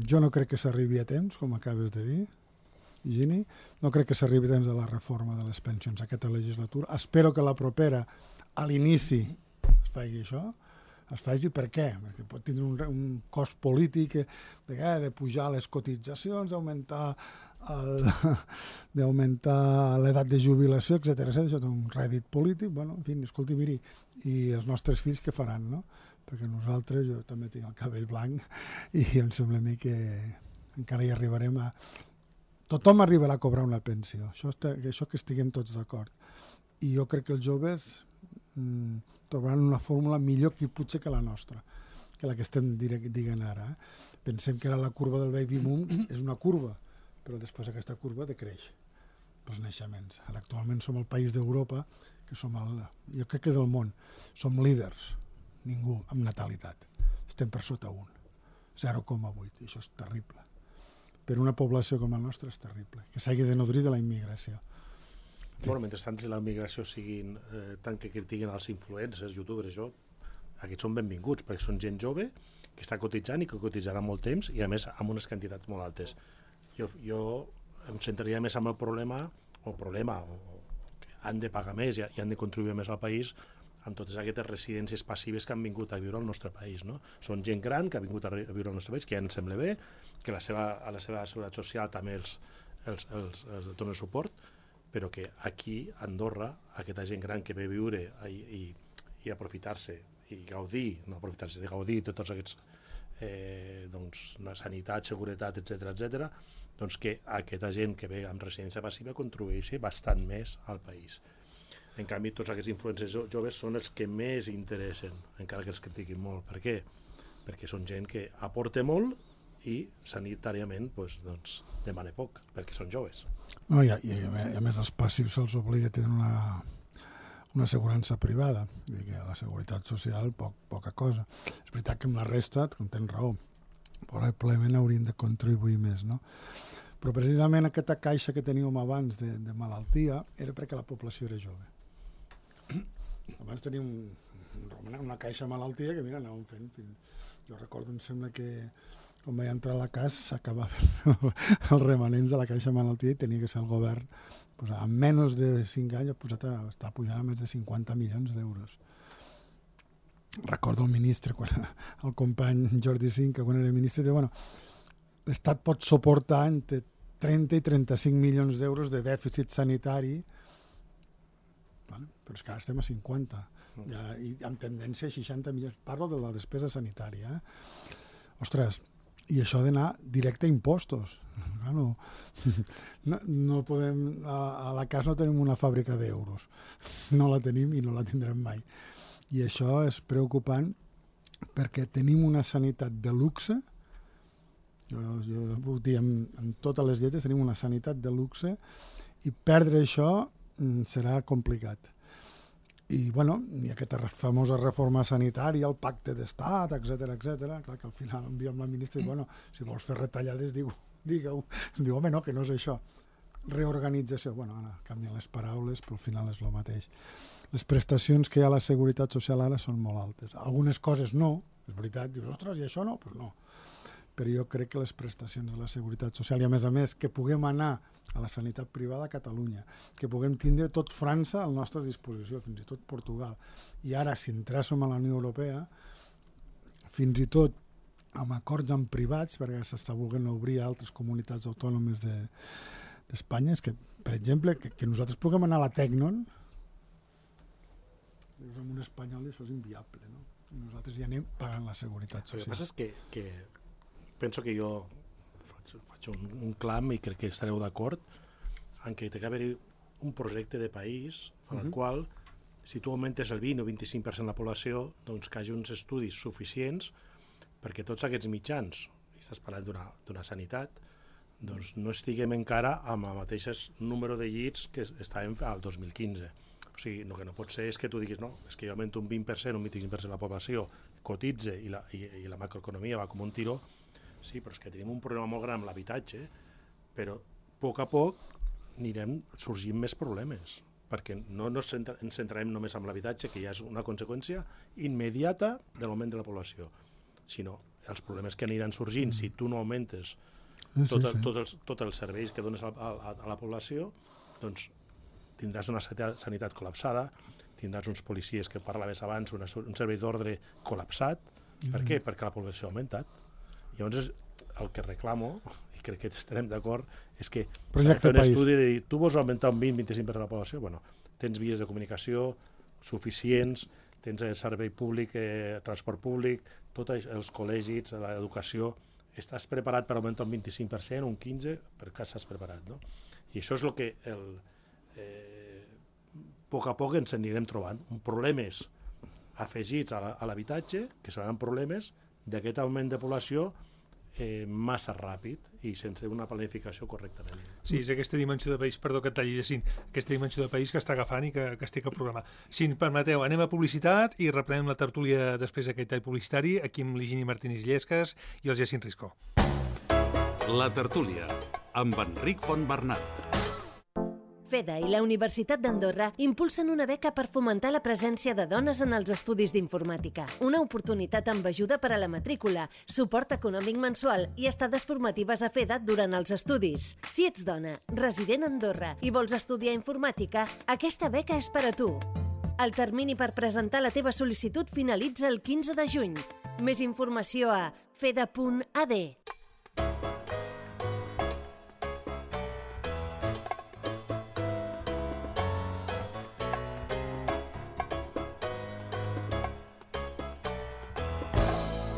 jo no crec que s'arribi a temps, com acabes de dir, Gini. No crec que s'arribi a temps de la reforma de les pensions aquesta legislatura. Espero que la propera, a l'inici, es faci això. Es faci per què? Perquè pot tindre un, un cost polític de, de pujar les cotitzacions, d'augmentar el, d'augmentar l'edat de jubilació, etcètera. Això té un rèdit polític, bueno, en fi, escolti, miri, i els nostres fills què faran, no? Perquè nosaltres, jo també tinc el cabell blanc i em sembla a mi que encara hi arribarem a... Tothom arribarà a cobrar una pensió, això, això que estiguem tots d'acord. I jo crec que els joves mmm, trobaran una fórmula millor que potser que la nostra, que la que estem dient ara. Eh? Pensem que ara la curva del baby boom és una curva, però després aquesta curva decreix pels naixements. Ara actualment som el país d'Europa, que som el, jo crec que del món, som líders, ningú amb natalitat. Estem per sota un, zero coma vuit, i això és terrible. Per una població com la nostra és terrible, que s'hagi de nodrir de la immigració. Bueno, mentrestant, si la immigració siguin eh, tant que critiquen els influencers, youtubers, això, aquests són benvinguts, perquè són gent jove que està cotitzant i que cotitzarà molt temps i, a més, amb unes quantitats molt altes. Jo, jo em centraria més amb el problema, o problema, o, o que han de pagar més i, i han de contribuir més al país amb totes aquestes residències passives que han vingut a viure al nostre país. No? Són gent gran que ha vingut a viure al nostre país, que ja ens sembla bé, que la seva, a la seva seguretat social també els, els, els, els dona suport, però que aquí, a Andorra, aquesta gent gran que ve a viure i, i, i aprofitar-se i gaudir, no aprofitar-se, de gaudir de tots aquests eh, doncs, sanitat, seguretat, etcètera, etcètera, doncs que aquesta gent que ve amb residència passiva contribueixi bastant més al país. En canvi, tots aquests influencers joves són els que més interessen, encara que els critiquin molt. Per què? Perquè són gent que aporta molt i sanitàriament doncs, doncs, demana poc, perquè són joves. No, i, a, i a més els passius se'ls obliga a tenir una, una assegurança privada, i que la seguretat social poc, poca cosa. És veritat que amb la resta, com tens raó, probablement haurien de contribuir més, no? Però precisament aquesta caixa que teníem abans de, de malaltia era perquè la població era jove. Abans teníem un, una caixa de malaltia que, mira, anàvem fent. Fins... Jo recordo, em sembla que quan vaig entrar a la casa s'acabaven els remanents de la caixa de malaltia i tenia que ser el govern, pues, en menys de cinc anys ha posat a, està pujant a més de cinquanta milions d'euros. Recordo el ministre, quan, el company Jordi Cinca, quan era ministre, deia, bueno, l'Estat pot suportar entre trenta i trenta-cinc milions d'euros de dèficit sanitari, vale? Però és que ara estem a cinquanta, ja, i amb tendència a seixanta milions. Parlo de la despesa sanitària. Eh? Ostres, i això ha d'anar directe a impostos. No, no, no podem, a, a la casa no tenim una fàbrica d'euros. No la tenim i no la tindrem mai. I això és preocupant perquè tenim una sanitat de luxe. Jo, jo puc dir, amb, amb totes les dietes tenim una sanitat de luxe i perdre això mm, serà complicat. I, bueno, hi ha aquesta famosa reforma sanitària, el pacte d'estat, etcètera, etcètera. Clar que al final un dia amb la ministra diu, bueno, si vols fer retallades, digue-ho. Digue-ho. Diu, home, no, que no és això. Reorganització. Bueno, ara canvien les paraules, però al final és el mateix. Les prestacions que hi ha a la Seguretat Social ara són molt altes. Algunes coses no, és veritat. Dius, ostres, i això no? Doncs pues no. Però jo crec que les prestacions de la Seguretat Social, i a més a més que puguem anar a la sanitat privada a Catalunya, que puguem tindre tot França a la nostra disposició, fins i tot Portugal. I ara, si entréssim a la Unió Europea, fins i tot amb acords amb privats, perquè s'està volent obrir a altres comunitats autònomes de, d'Espanya, és que, per exemple, que, que nosaltres puguem anar a la Tecnon, dius, amb un espanyol això és inviable, no? I nosaltres ja anem pagant la Seguretat Social. El que passa és que, que penso que jo faig, faig un, un clam i crec que estareu d'acord en que té que haver un projecte de país en el uh-huh. qual, si tu augmentes el vint o vint-i-cinc per cent de la població, doncs que hi hagi uns estudis suficients perquè tots aquests mitjans, i estàs parlant d'una, d'una sanitat, doncs no estiguem encara amb el mateix número de llits que estàvem al dos mil quinze. O sigui, el que no pot ser és que tu diguis, no, és que jo augmento un vint per cent, un vint-i-cinc per cent de la població, cotitze i la, i, i la macroeconomia va com un tiró. Sí, però és que tenim un problema molt gran amb l'habitatge, però a poc a poc anirem sorgint més problemes, perquè no, no ens centrarem només en l'habitatge, que ja és una conseqüència immediata de l'augment de la població, sinó els problemes que aniran sorgint si tu no augmentes tot el, tot els, tots els serveis que dones a, a, a la població, doncs tindràs una sanitat col·lapsada, tindràs uns policies que parlaves abans, una, un servei d'ordre col·lapsat. Mm-hmm. Per què? Perquè la població ha augmentat. Llavors, el que reclamo, i crec que estarem d'acord, és que Projecte s'ha de fer un país. estudi de dir, tu vols augmentar un vint a vint-i-cinc per cent de la població? Bueno, tens vies de comunicació suficients, tens el servei públic, eh, transport públic, tots els col·legis, l'educació, estàs preparat per augmentar un vint-i-cinc per cent, un quinze per cent, per què estàs preparat, no? I això és el que el, eh, a poc a poc ens anirem trobant. Problemes afegits a l'habitatge, que seran problemes d'aquest augment de població eh, massa ràpid i sense una planificació correctament. Sí, és aquesta dimensió de país, perdó que et talli, Jacint, aquesta dimensió de país que està agafant i que, que estic a programar. Si em permeteu, anem a publicitat i reprenem la tertúlia després d'aquest tall publicitari, aquí amb l'Higini Martínez Llesques i el Jacint Risco. La tertúlia, amb Enric Fontbernat. FEDA i la Universitat d'Andorra impulsen una beca per fomentar la presència de dones en els estudis d'informàtica. Una oportunitat amb ajuda per a la matrícula, suport econòmic mensual i estades formatives a FEDA durant els estudis. Si ets dona, resident a Andorra i vols estudiar informàtica, aquesta beca és per a tu. El termini per presentar la teva sol·licitud finalitza el quinze de juny. Més informació a feda punt a d.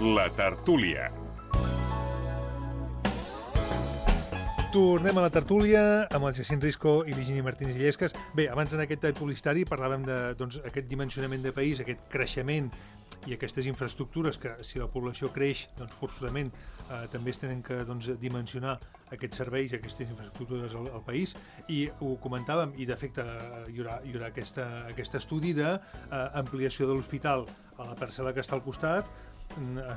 La tertúlia. Tornem a la tertúlia amb el Jacint Risco i l'Higini Martínez Llesques. Bé, abans en aquest tall publicitari parlàvem d'aquest doncs, dimensionament de país, aquest creixement i aquestes infraestructures que, si la població creix, doncs forçosament eh, també es tenen que doncs, dimensionar aquests serveis, aquestes infraestructures al, al país, i ho comentàvem, i d'efecte hi haurà, hi haurà aquesta, aquest estudi d'ampliació de l'hospital a la parcel·la que està al costat.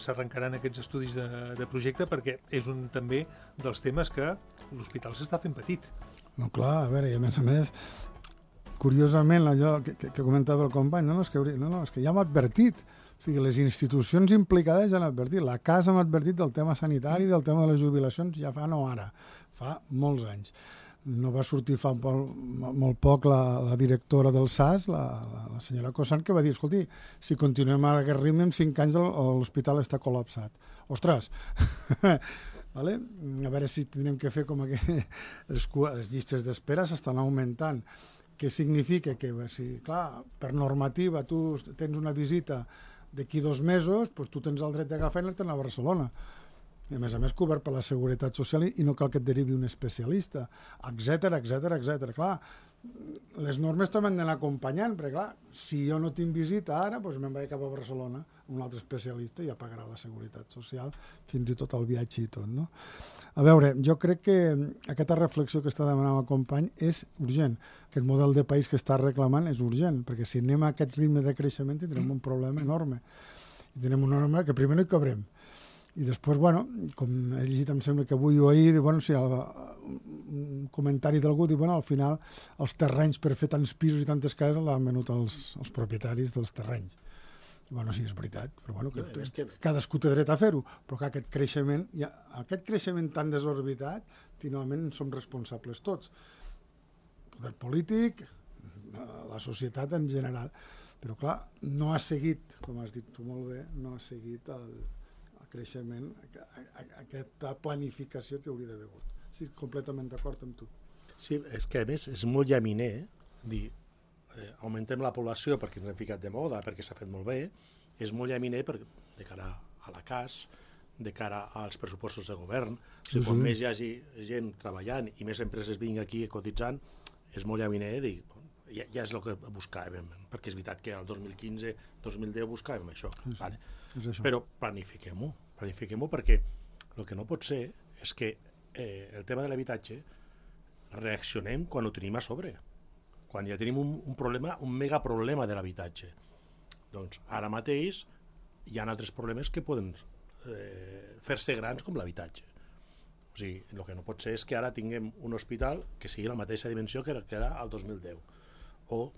S'arrencaran aquests estudis de, de projecte perquè és un també dels temes que l'hospital s'està fent petit. No, clar, a veure, i a més a més, curiosament, allò que, que, que comentava el company, no, no, és que, no, no, és que ja m'ha advertit. O sigui, les institucions implicades ja han advertit. La casa m'ha advertit del tema sanitari, del tema de les jubilacions, ja fa no ara, fa molts anys. No va sortir fa molt, molt poc la, la directora del S A S, la, la, la senyora Cossan, que va dir, escolti, si continuem a aquest ritme, en cinc anys l'hospital està col·lapsat. Ostres! Vale? A veure si tindrem que fer com que les, les llistes d'espera s'estan augmentant. Què significa? Que, si, clar, per normativa tu tens una visita d'aquí dos mesos, doncs tu tens el dret d'agafar i anar-te'n a Barcelona. I a més a més cobert per la Seguretat Social i no cal que et derivi un especialista, etcètera, etcètera, etcètera. Clar, les normes també han d'anar acompanyant, perquè clar, si jo no tinc visita ara, doncs me'n vaig cap a Barcelona, un altre especialista ja pagarà la Seguretat Social, fins i tot el viatge i tot, no? A veure, jo crec que aquesta reflexió que està demanant el company és urgent. Aquest model de país que està reclamant és urgent, perquè si anem a aquest ritme de creixement tindrem un problema enorme. I tenim una norma que primer no hi cabrem. I després, bueno, com he llegit, em sembla que avui o ahir, bueno, sí, el, un comentari d'algú, diu, bueno, al final els terrenys per fer tants pisos i tantes cases l'han venut els, els propietaris dels terrenys. Bueno, sí, és veritat, però bueno, que, és que... cadascú té dret a fer-ho, però que aquest creixement, ja, aquest creixement tan desorbitat, finalment en som responsables tots. El poder polític, la societat en general, però clar, no ha seguit, com has dit tu molt bé, no ha seguit el creixement, aquesta planificació que hauria d'haver hagut. Sí, completament d'acord amb tu. Sí, és que a més és molt llaminer dir, eh, augmentem la població perquè ens hem ficat de moda, perquè s'ha fet molt bé, és molt llaminer per, de cara a la C A S, de cara als pressupostos de govern. O sigui, quan més hi hagi gent treballant i més empreses vinguin aquí cotitzant, és molt llaminer dir, ja, ja és el que buscàvem, perquè és veritat que el dos mil quinze dos mil deu buscàvem això. Sí, sí. Vale. És això. Però planifiquem-ho, planifiquem-ho perquè el que no pot ser és que eh, el tema de l'habitatge reaccionem quan ho tenim a sobre, quan ja tenim un, un problema, un megaproblema de l'habitatge. Doncs ara mateix hi ha altres problemes que poden eh, fer-se grans com l'habitatge. O sigui, el que no pot ser és que ara tinguem un hospital que sigui la mateixa dimensió que era, que era el dos mil deu, o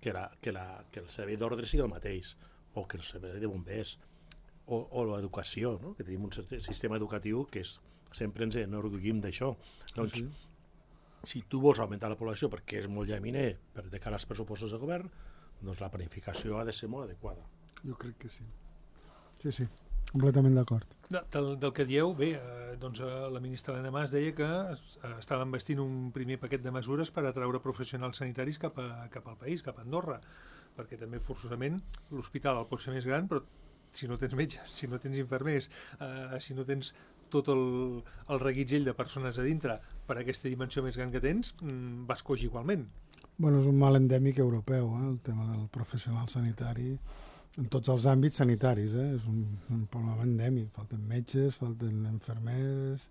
que, la, que, la, que el servei d'ordre sigui el mateix, o que el servei de bombers, o, o l'educació, no? Que tenim un sistema educatiu que és, sempre ens enorgullim d'això. Doncs, sí. Si tu vols augmentar la població perquè és molt llaminer per de cara als pressupostos de govern, doncs la planificació ha de ser molt adequada. Jo crec que sí. Sí, sí. completament d'acord. Del, del que dieu, bé, eh, doncs eh, la ministra Elena Mas deia que es, eh, estaven vestint un primer paquet de mesures per atraure professionals sanitaris cap, a, cap al país, cap a Andorra, perquè també forçosament l'hospital el pot ser més gran, però si no tens metges, si no tens infermers, eh, si no tens tot el, el reguitzell de persones a dintre per aquesta dimensió més gran que tens, mm, vas coix igualment. Bueno, és un mal endèmic europeu, eh, el tema del professional sanitari, en tots els àmbits sanitaris, eh? És un, un problema endèmic. Falten metges, falten infermers,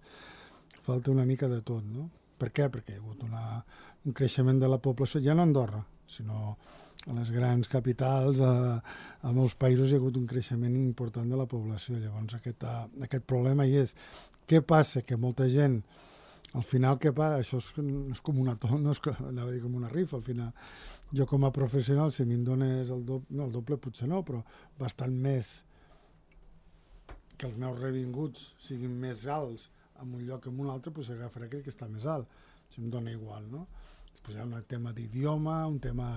falta una mica de tot, no? Per què? Perquè hi ha hagut una, un creixement de la població, ja no a Andorra, sinó a les grans capitals, a, a molts països hi ha hagut un creixement important de la població. Llavors aquest, aquest problema hi és. Què passa? Que molta gent, al final què passa? Això és, és com una tona, no és que, anava a dir com una rifa, al final. Jo com a professional, si me'n dones el doble, no, el doble potser no, però bastant més que els meus revinguts siguin més alts en un lloc que en un altre, doncs agafaré aquell que està més alt. Això em dona igual, no? Després hi ha un tema d'idioma, un tema...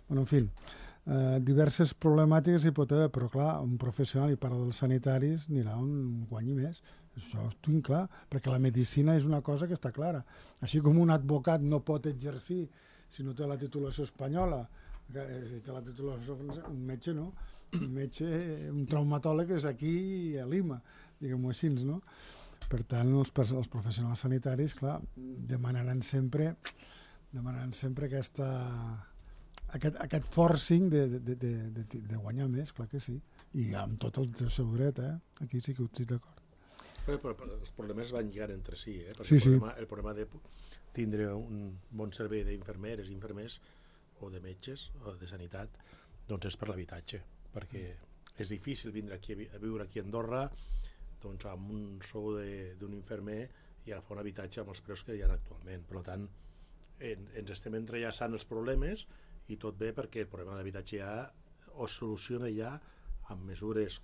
Bueno, en fi, eh, diverses problemàtiques hi pot haver, però clar, un professional, i parla dels sanitaris, anirà on guanyi més. Això ho tinc clar, perquè la medicina és una cosa que està clara. Així com un advocat no pot exercir si no té la titulació espanyola, si té la titulació francesa, un metge no, un metge, un traumatòleg és aquí a Lima, diguem-ho així, no? Per tant, els, els professionals sanitaris, clar, demanaran sempre, demanaran sempre aquesta, aquest, aquest forcing de, de, de, de, de guanyar més, clar que sí, i amb tot el seu dret, eh? Aquí sí que ho estic d'acord. Però, però, però els problemes van lligar entre si, eh? Perquè sí, el, problema, sí. el problema de tindre un bon servei d'infermeres, infermers o de metges o de sanitat, doncs és per l'habitatge, perquè és difícil vindre aquí a viure aquí a Andorra doncs amb un sou d'un infermer i agafar un habitatge amb els preus que hi ha actualment. Per tant, en, ens estem entrellaçant els problemes i tot bé perquè el problema d'habitatge ja o es soluciona ja amb mesures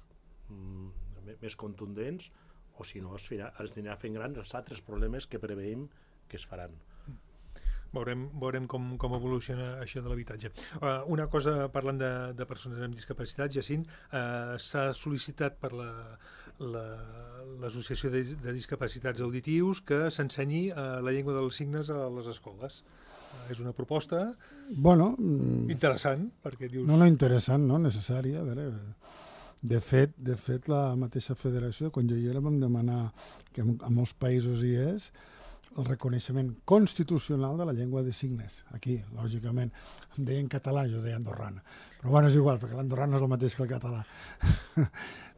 mm, més contundents, o si no es, es anirà fent grans els altres problemes que preveïm que es faran. Veurem, veurem com, com evoluciona això de l'habitatge. Uh, una cosa, parlant de, de persones amb discapacitat, Jacint, uh, s'ha sol·licitat per l'Associació la, de, de Discapacitats Auditius que s'ensenyi uh, la llengua dels signes a les escoles. Uh, és una proposta bueno, interessant, perquè dius... No, no interessant, no necessària. A veure, de fet, de fet, la mateixa federació, quan jo hi era, vam demanar, que a molts països hi és, el reconeixement constitucional de la llengua de signes. Aquí, lògicament, em deien català, jo deia andorrana. Però bueno, és igual, perquè l'andorrana és el mateix que el català.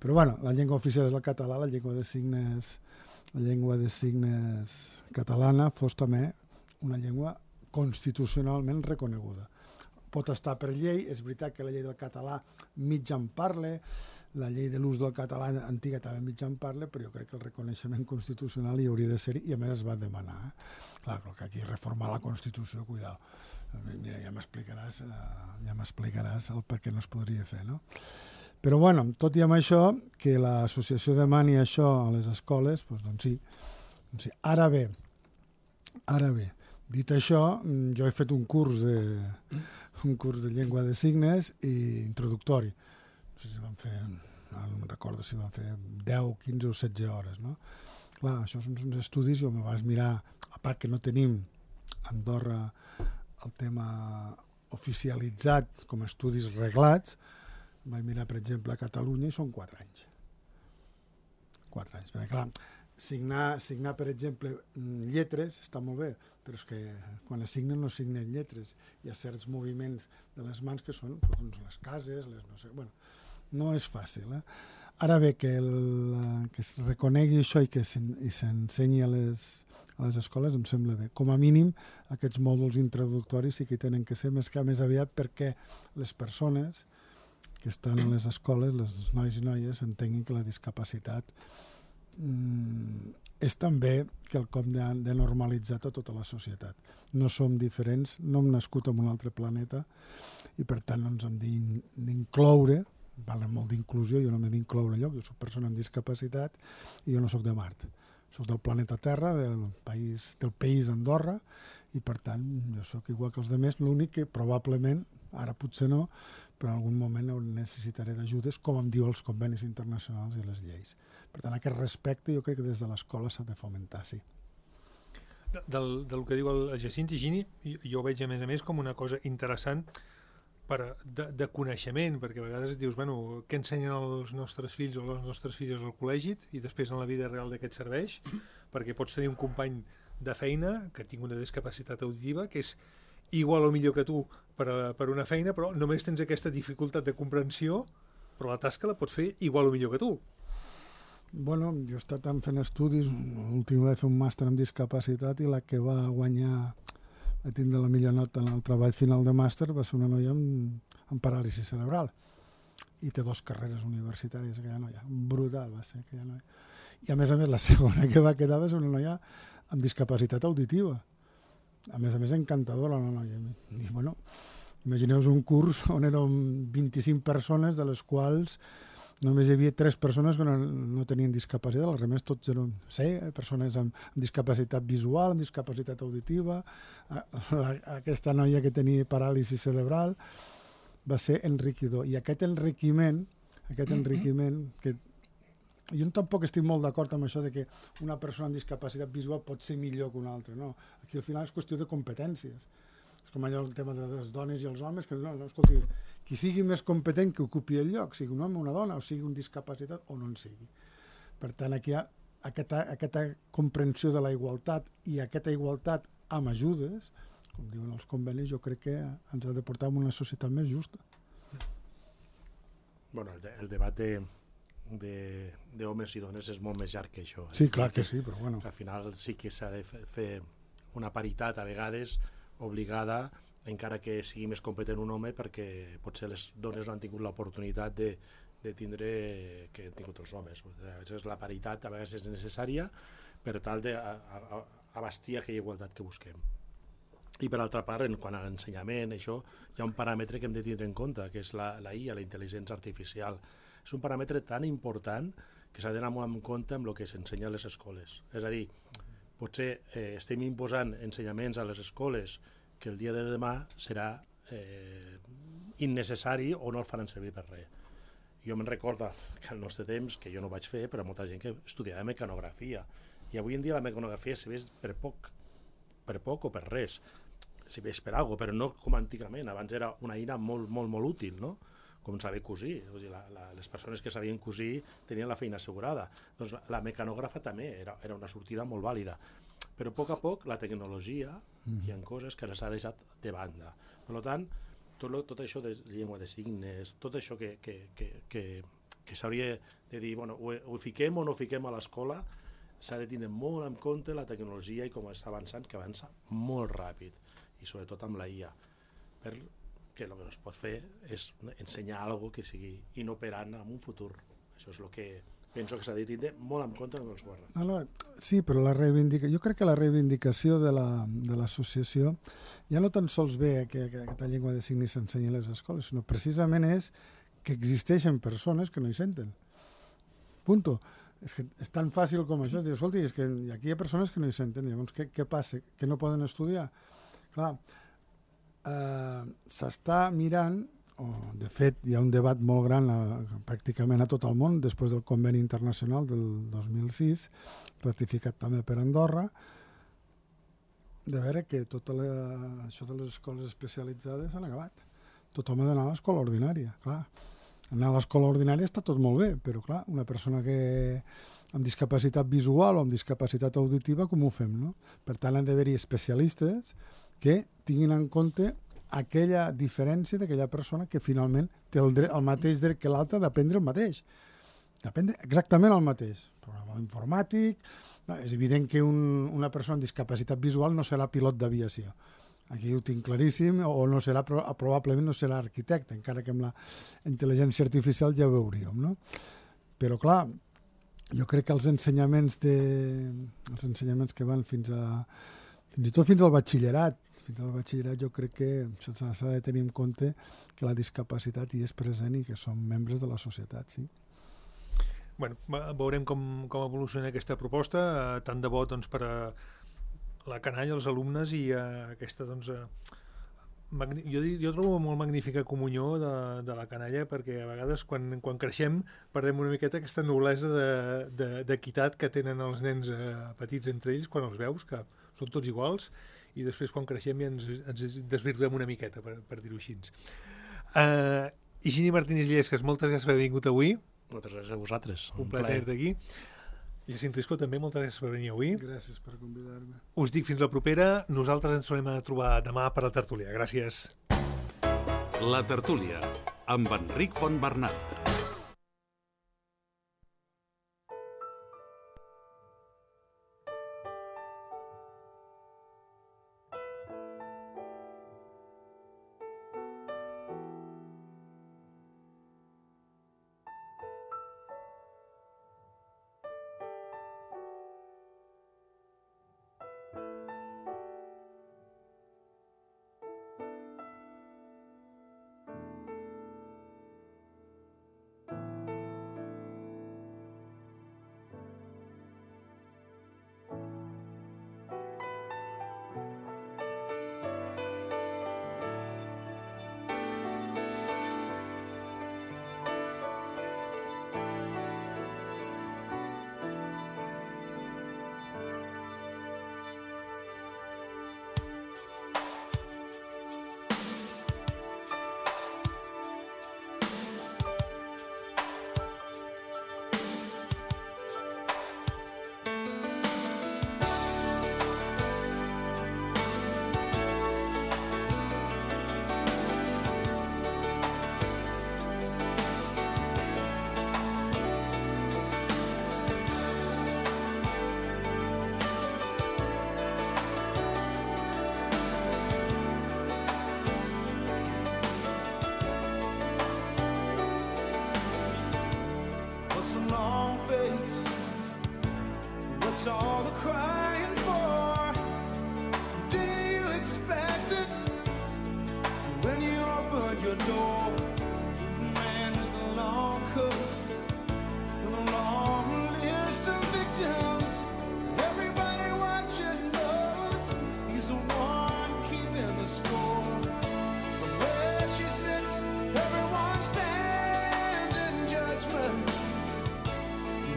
Però bueno, la llengua oficial és el català, la llengua de signes, la llengua de signes catalana fos també una llengua constitucionalment reconeguda. Pot estar per llei, és veritat que la llei del català mig en parla, la llei de l'ús del català antiga també mig en parla, però jo crec que el reconeixement constitucional hi hauria de ser i a més es va demanar. Eh? Clar, que aquí reformar la Constitució, cuidao. Mira, ja m'explicaràs ja m'explicaràs el per què no es podria fer, no? Però bueno, tot i amb això, que l'associació demani això a les escoles, doncs, doncs sí. Doncs sí. Ara bé, ara bé, dit això, jo he fet un curs de, un curs de llengua de signes i introductori. No sé si van fer, no recordo si van fer deu, quinze o setze hores, no? Clar, això són uns estudis, jo me vas mirar, a part que no tenim a Andorra el tema oficialitzat com a estudis reglats, vaig mirar, per exemple, a Catalunya i són quatre anys. Quatre anys, perquè clar, signar, signar, per exemple, lletres està molt bé, però és que quan es signen no signen lletres. Hi ha certs moviments de les mans que són doncs, les cases, les no sé... Bueno, no és fàcil. Eh? Ara bé, que, el, que es reconegui això i que s'ensenyi a, les, a les escoles em sembla bé. Com a mínim, aquests mòduls introductoris sí que tenen que ser més que més aviat perquè les persones que estan a les escoles, les nois i noies, entenguin que la discapacitat mm, és també quelcom de, de normalitzat a tota la societat. No som diferents, no hem nascut en un altre planeta i per tant no ens hem d'incloure, parlen molt d'inclusió, jo no m'he d'incloure lloc, jo soc persona amb discapacitat i jo no soc de Mart. soc del planeta Terra, del país, del país Andorra, i per tant jo sóc igual que els altres, l'únic que probablement, ara potser no, però en algun moment necessitaré d'ajudes, com em diu els convenis internacionals i les lleis. Per tant, aquest respecte jo crec que des de l'escola s'ha de fomentar, sí. Del, del que diu el Jacint Higini, jo ho veig a més a més com una cosa interessant per, de, de coneixement, perquè a vegades dius, bueno, què ensenyen els nostres fills o les nostres filles al col·legi i després en la vida real de què et serveix, perquè pots tenir un company de feina que tingui una discapacitat auditiva que és igual o millor que tu per, a, per una feina, però només tens aquesta dificultat de comprensió, però la tasca la pots fer igual o millor que tu. Bueno, jo he estat fent estudis, l'últim va fer un màster en discapacitat i la que va guanyar, va tindre la millor nota en el treball final de màster, va ser una noia amb, amb paràlisi cerebral i té dues carreres universitàries, aquella noia, brutal va ser aquella noia. I a més a més la segona que va quedar va ser una noia amb discapacitat auditiva, a més a més encantadora la noia. I bueno, imagineu-vos un curs on eren vint-i-cinc persones, de les quals només hi havia tres persones que no, no tenien discapacitat, els altres tots eren sí, persones amb, amb discapacitat visual, amb discapacitat auditiva. La, aquesta noia que tenia paràlisi cerebral va ser enriquidor. I aquest enriquiment, aquest enriquiment que jo tampoc estic molt d'acord amb això de que una persona amb discapacitat visual pot ser millor que una altra, no. Aquí al final és qüestió de competències. És com allò el tema de les dones i els homes, que no, no, escolti, qui sigui més competent que ocupi el lloc, sigui un home o una dona, o sigui un discapacitat o no en sigui. Per tant, aquí hi ha aquesta, aquesta comprensió de la igualtat i aquesta igualtat amb ajudes, com diuen els convenis, jo crec que ens ha de portar a una societat més justa. Bueno, el, de, el debat de d'homes i dones és molt més llarg que això. Sí, clar que sí, però bueno. Al final sí que s'ha de fer una paritat a vegades obligada, encara que sigui més competent un home, perquè potser les dones no han tingut l'oportunitat de, de tindre que han tingut els homes. A vegades la paritat a vegades és necessària per tal d'abastir aquella igualtat que busquem. I per altra part, en quant a l'ensenyament, això, hi ha un paràmetre que hem de tindre en compte, que és la, la I A, la intel·ligència artificial. És un paràmetre tan important que s'ha d'anar molt en compte amb el que s'ensenya a les escoles. És a dir, potser eh, estem imposant ensenyaments a les escoles que el dia de demà serà eh, innecessari o no el faran servir per res. Jo me'n recordo que al nostre temps, que jo no vaig fer, però molta gent que estudiava mecanografia, i avui en dia la mecanografia se ves per poc, per poc o per res, se ves per alguna cosa, però no com antigament. Abans era una eina molt, molt, molt útil, no? Com saber cosir. O sigui, la, la, les persones que sabien cosir tenien la feina assegurada. Doncs la, la mecanògrafa també era, era una sortida molt vàlida. Però a poc a poc la tecnologia, mm. hi ha coses que les ha deixat de banda. Per tant, tot, lo, tot això de llengua de signes, tot això que, que, que, que, que s'hauria de dir, bueno, ho, ho fiquem o no fiquem a l'escola, s'ha de tindre molt en compte la tecnologia i com està avançant, que avança molt ràpid, i sobretot amb la I A. Per que el que es pot fer és ensenyar alguna que sigui inoperant en un futur. Això és el que penso que s'ha de tindre molt en compte amb els guards. No, no, sí, però la reivindica... jo crec que la reivindicació de l'associació la, de ja no tan sols ve que, que aquesta llengua de signes s'ensenyi a les escoles, sinó precisament és que existeixen persones que no hi senten. Punto. És que és tan fàcil com això. Dius, escolti, és que aquí hi ha persones que no hi senten. Llavors, què, què passa? Que no poden estudiar? Clar, eh, s'està mirant, o de fet hi ha un debat molt gran a, pràcticament a tot el món, després del conveni internacional del dos mil sis, ratificat també per Andorra, de veure que tot la, això de les escoles especialitzades s'han acabat. Tothom ha d'anar a l'escola ordinària, clar. Anar a l'escola ordinària està tot molt bé, però clar, una persona que amb discapacitat visual o amb discapacitat auditiva, com ho fem, no? Per tant, han d'haver-hi especialistes que tinguin en compte aquella diferència d'aquella persona que finalment té el, dret, el mateix dret que l'altre d'aprendre el mateix. D'aprendre exactament el mateix. Programa informàtic, no, és evident que un, una persona amb discapacitat visual no serà pilot d'aviació. Aquí ho tinc claríssim, o no serà, probablement no serà arquitecte, encara que amb la intel·ligència artificial ja ho veuríem, no? Però clar, jo crec que els ensenyaments, de, els ensenyaments que van fins a fins i tot fins al batxillerat, fins al batxillerat jo crec que s'ha de tenir en compte que la discapacitat hi és present i que som membres de la societat, sí. bueno, veurem com, com evoluciona aquesta proposta, eh, tant de bo doncs, per a la canalla, els alumnes i eh, aquesta, doncs, eh, magni... jo, jo trobo molt magnífica comunió de, de la canalla, perquè a vegades quan, quan creixem perdem una miqueta aquesta noblesa d'equitat que tenen els nens eh, petits entre ells quan els veus, que són tots iguals, i després quan creixem ja ens, ens desvirtuem una miqueta, per, per dir-ho així. Uh, Higini Martínez Llesques, moltes gràcies per haver vingut avui. Moltes gràcies a vosaltres. Un, un plaer tenir-te aquí. Jacint Risco, també, moltes gràcies per venir avui. Gràcies per convidar-me. Us dic fins la propera. Nosaltres ens tornem a trobar demà per la tertúlia. Gràcies. La tertúlia, amb Enric Fontbernat. What's all the crying for? Did you expect it when you opened your door? The man with the long coat and a long list of victims. Everybody watching knows he's the one keeping the score. From where she sits, everyone stands in judgment.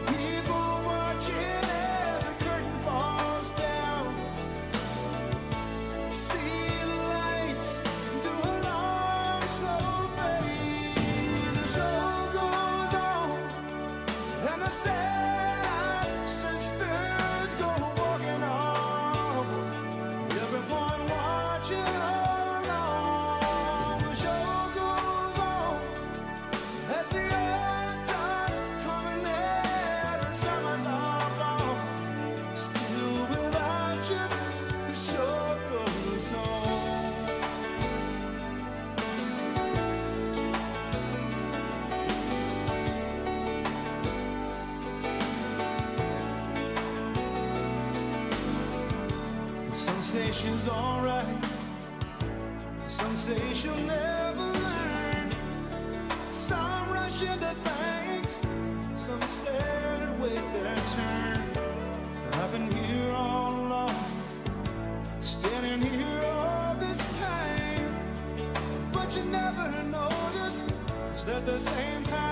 People watching as the curtain falls down. See the lights do a long, slow fade. The show goes on, and the sad sisters go walking on. Everyone watching all along. The show goes on as the earth turns coming in. Summers are gone, still without you. The show goes on. Some say she's alright, some say she'll never learn. Some rush into thanks, some stare and wait their turn. I've been here all along, standing here all this time, but you never notice, 'cause at the same time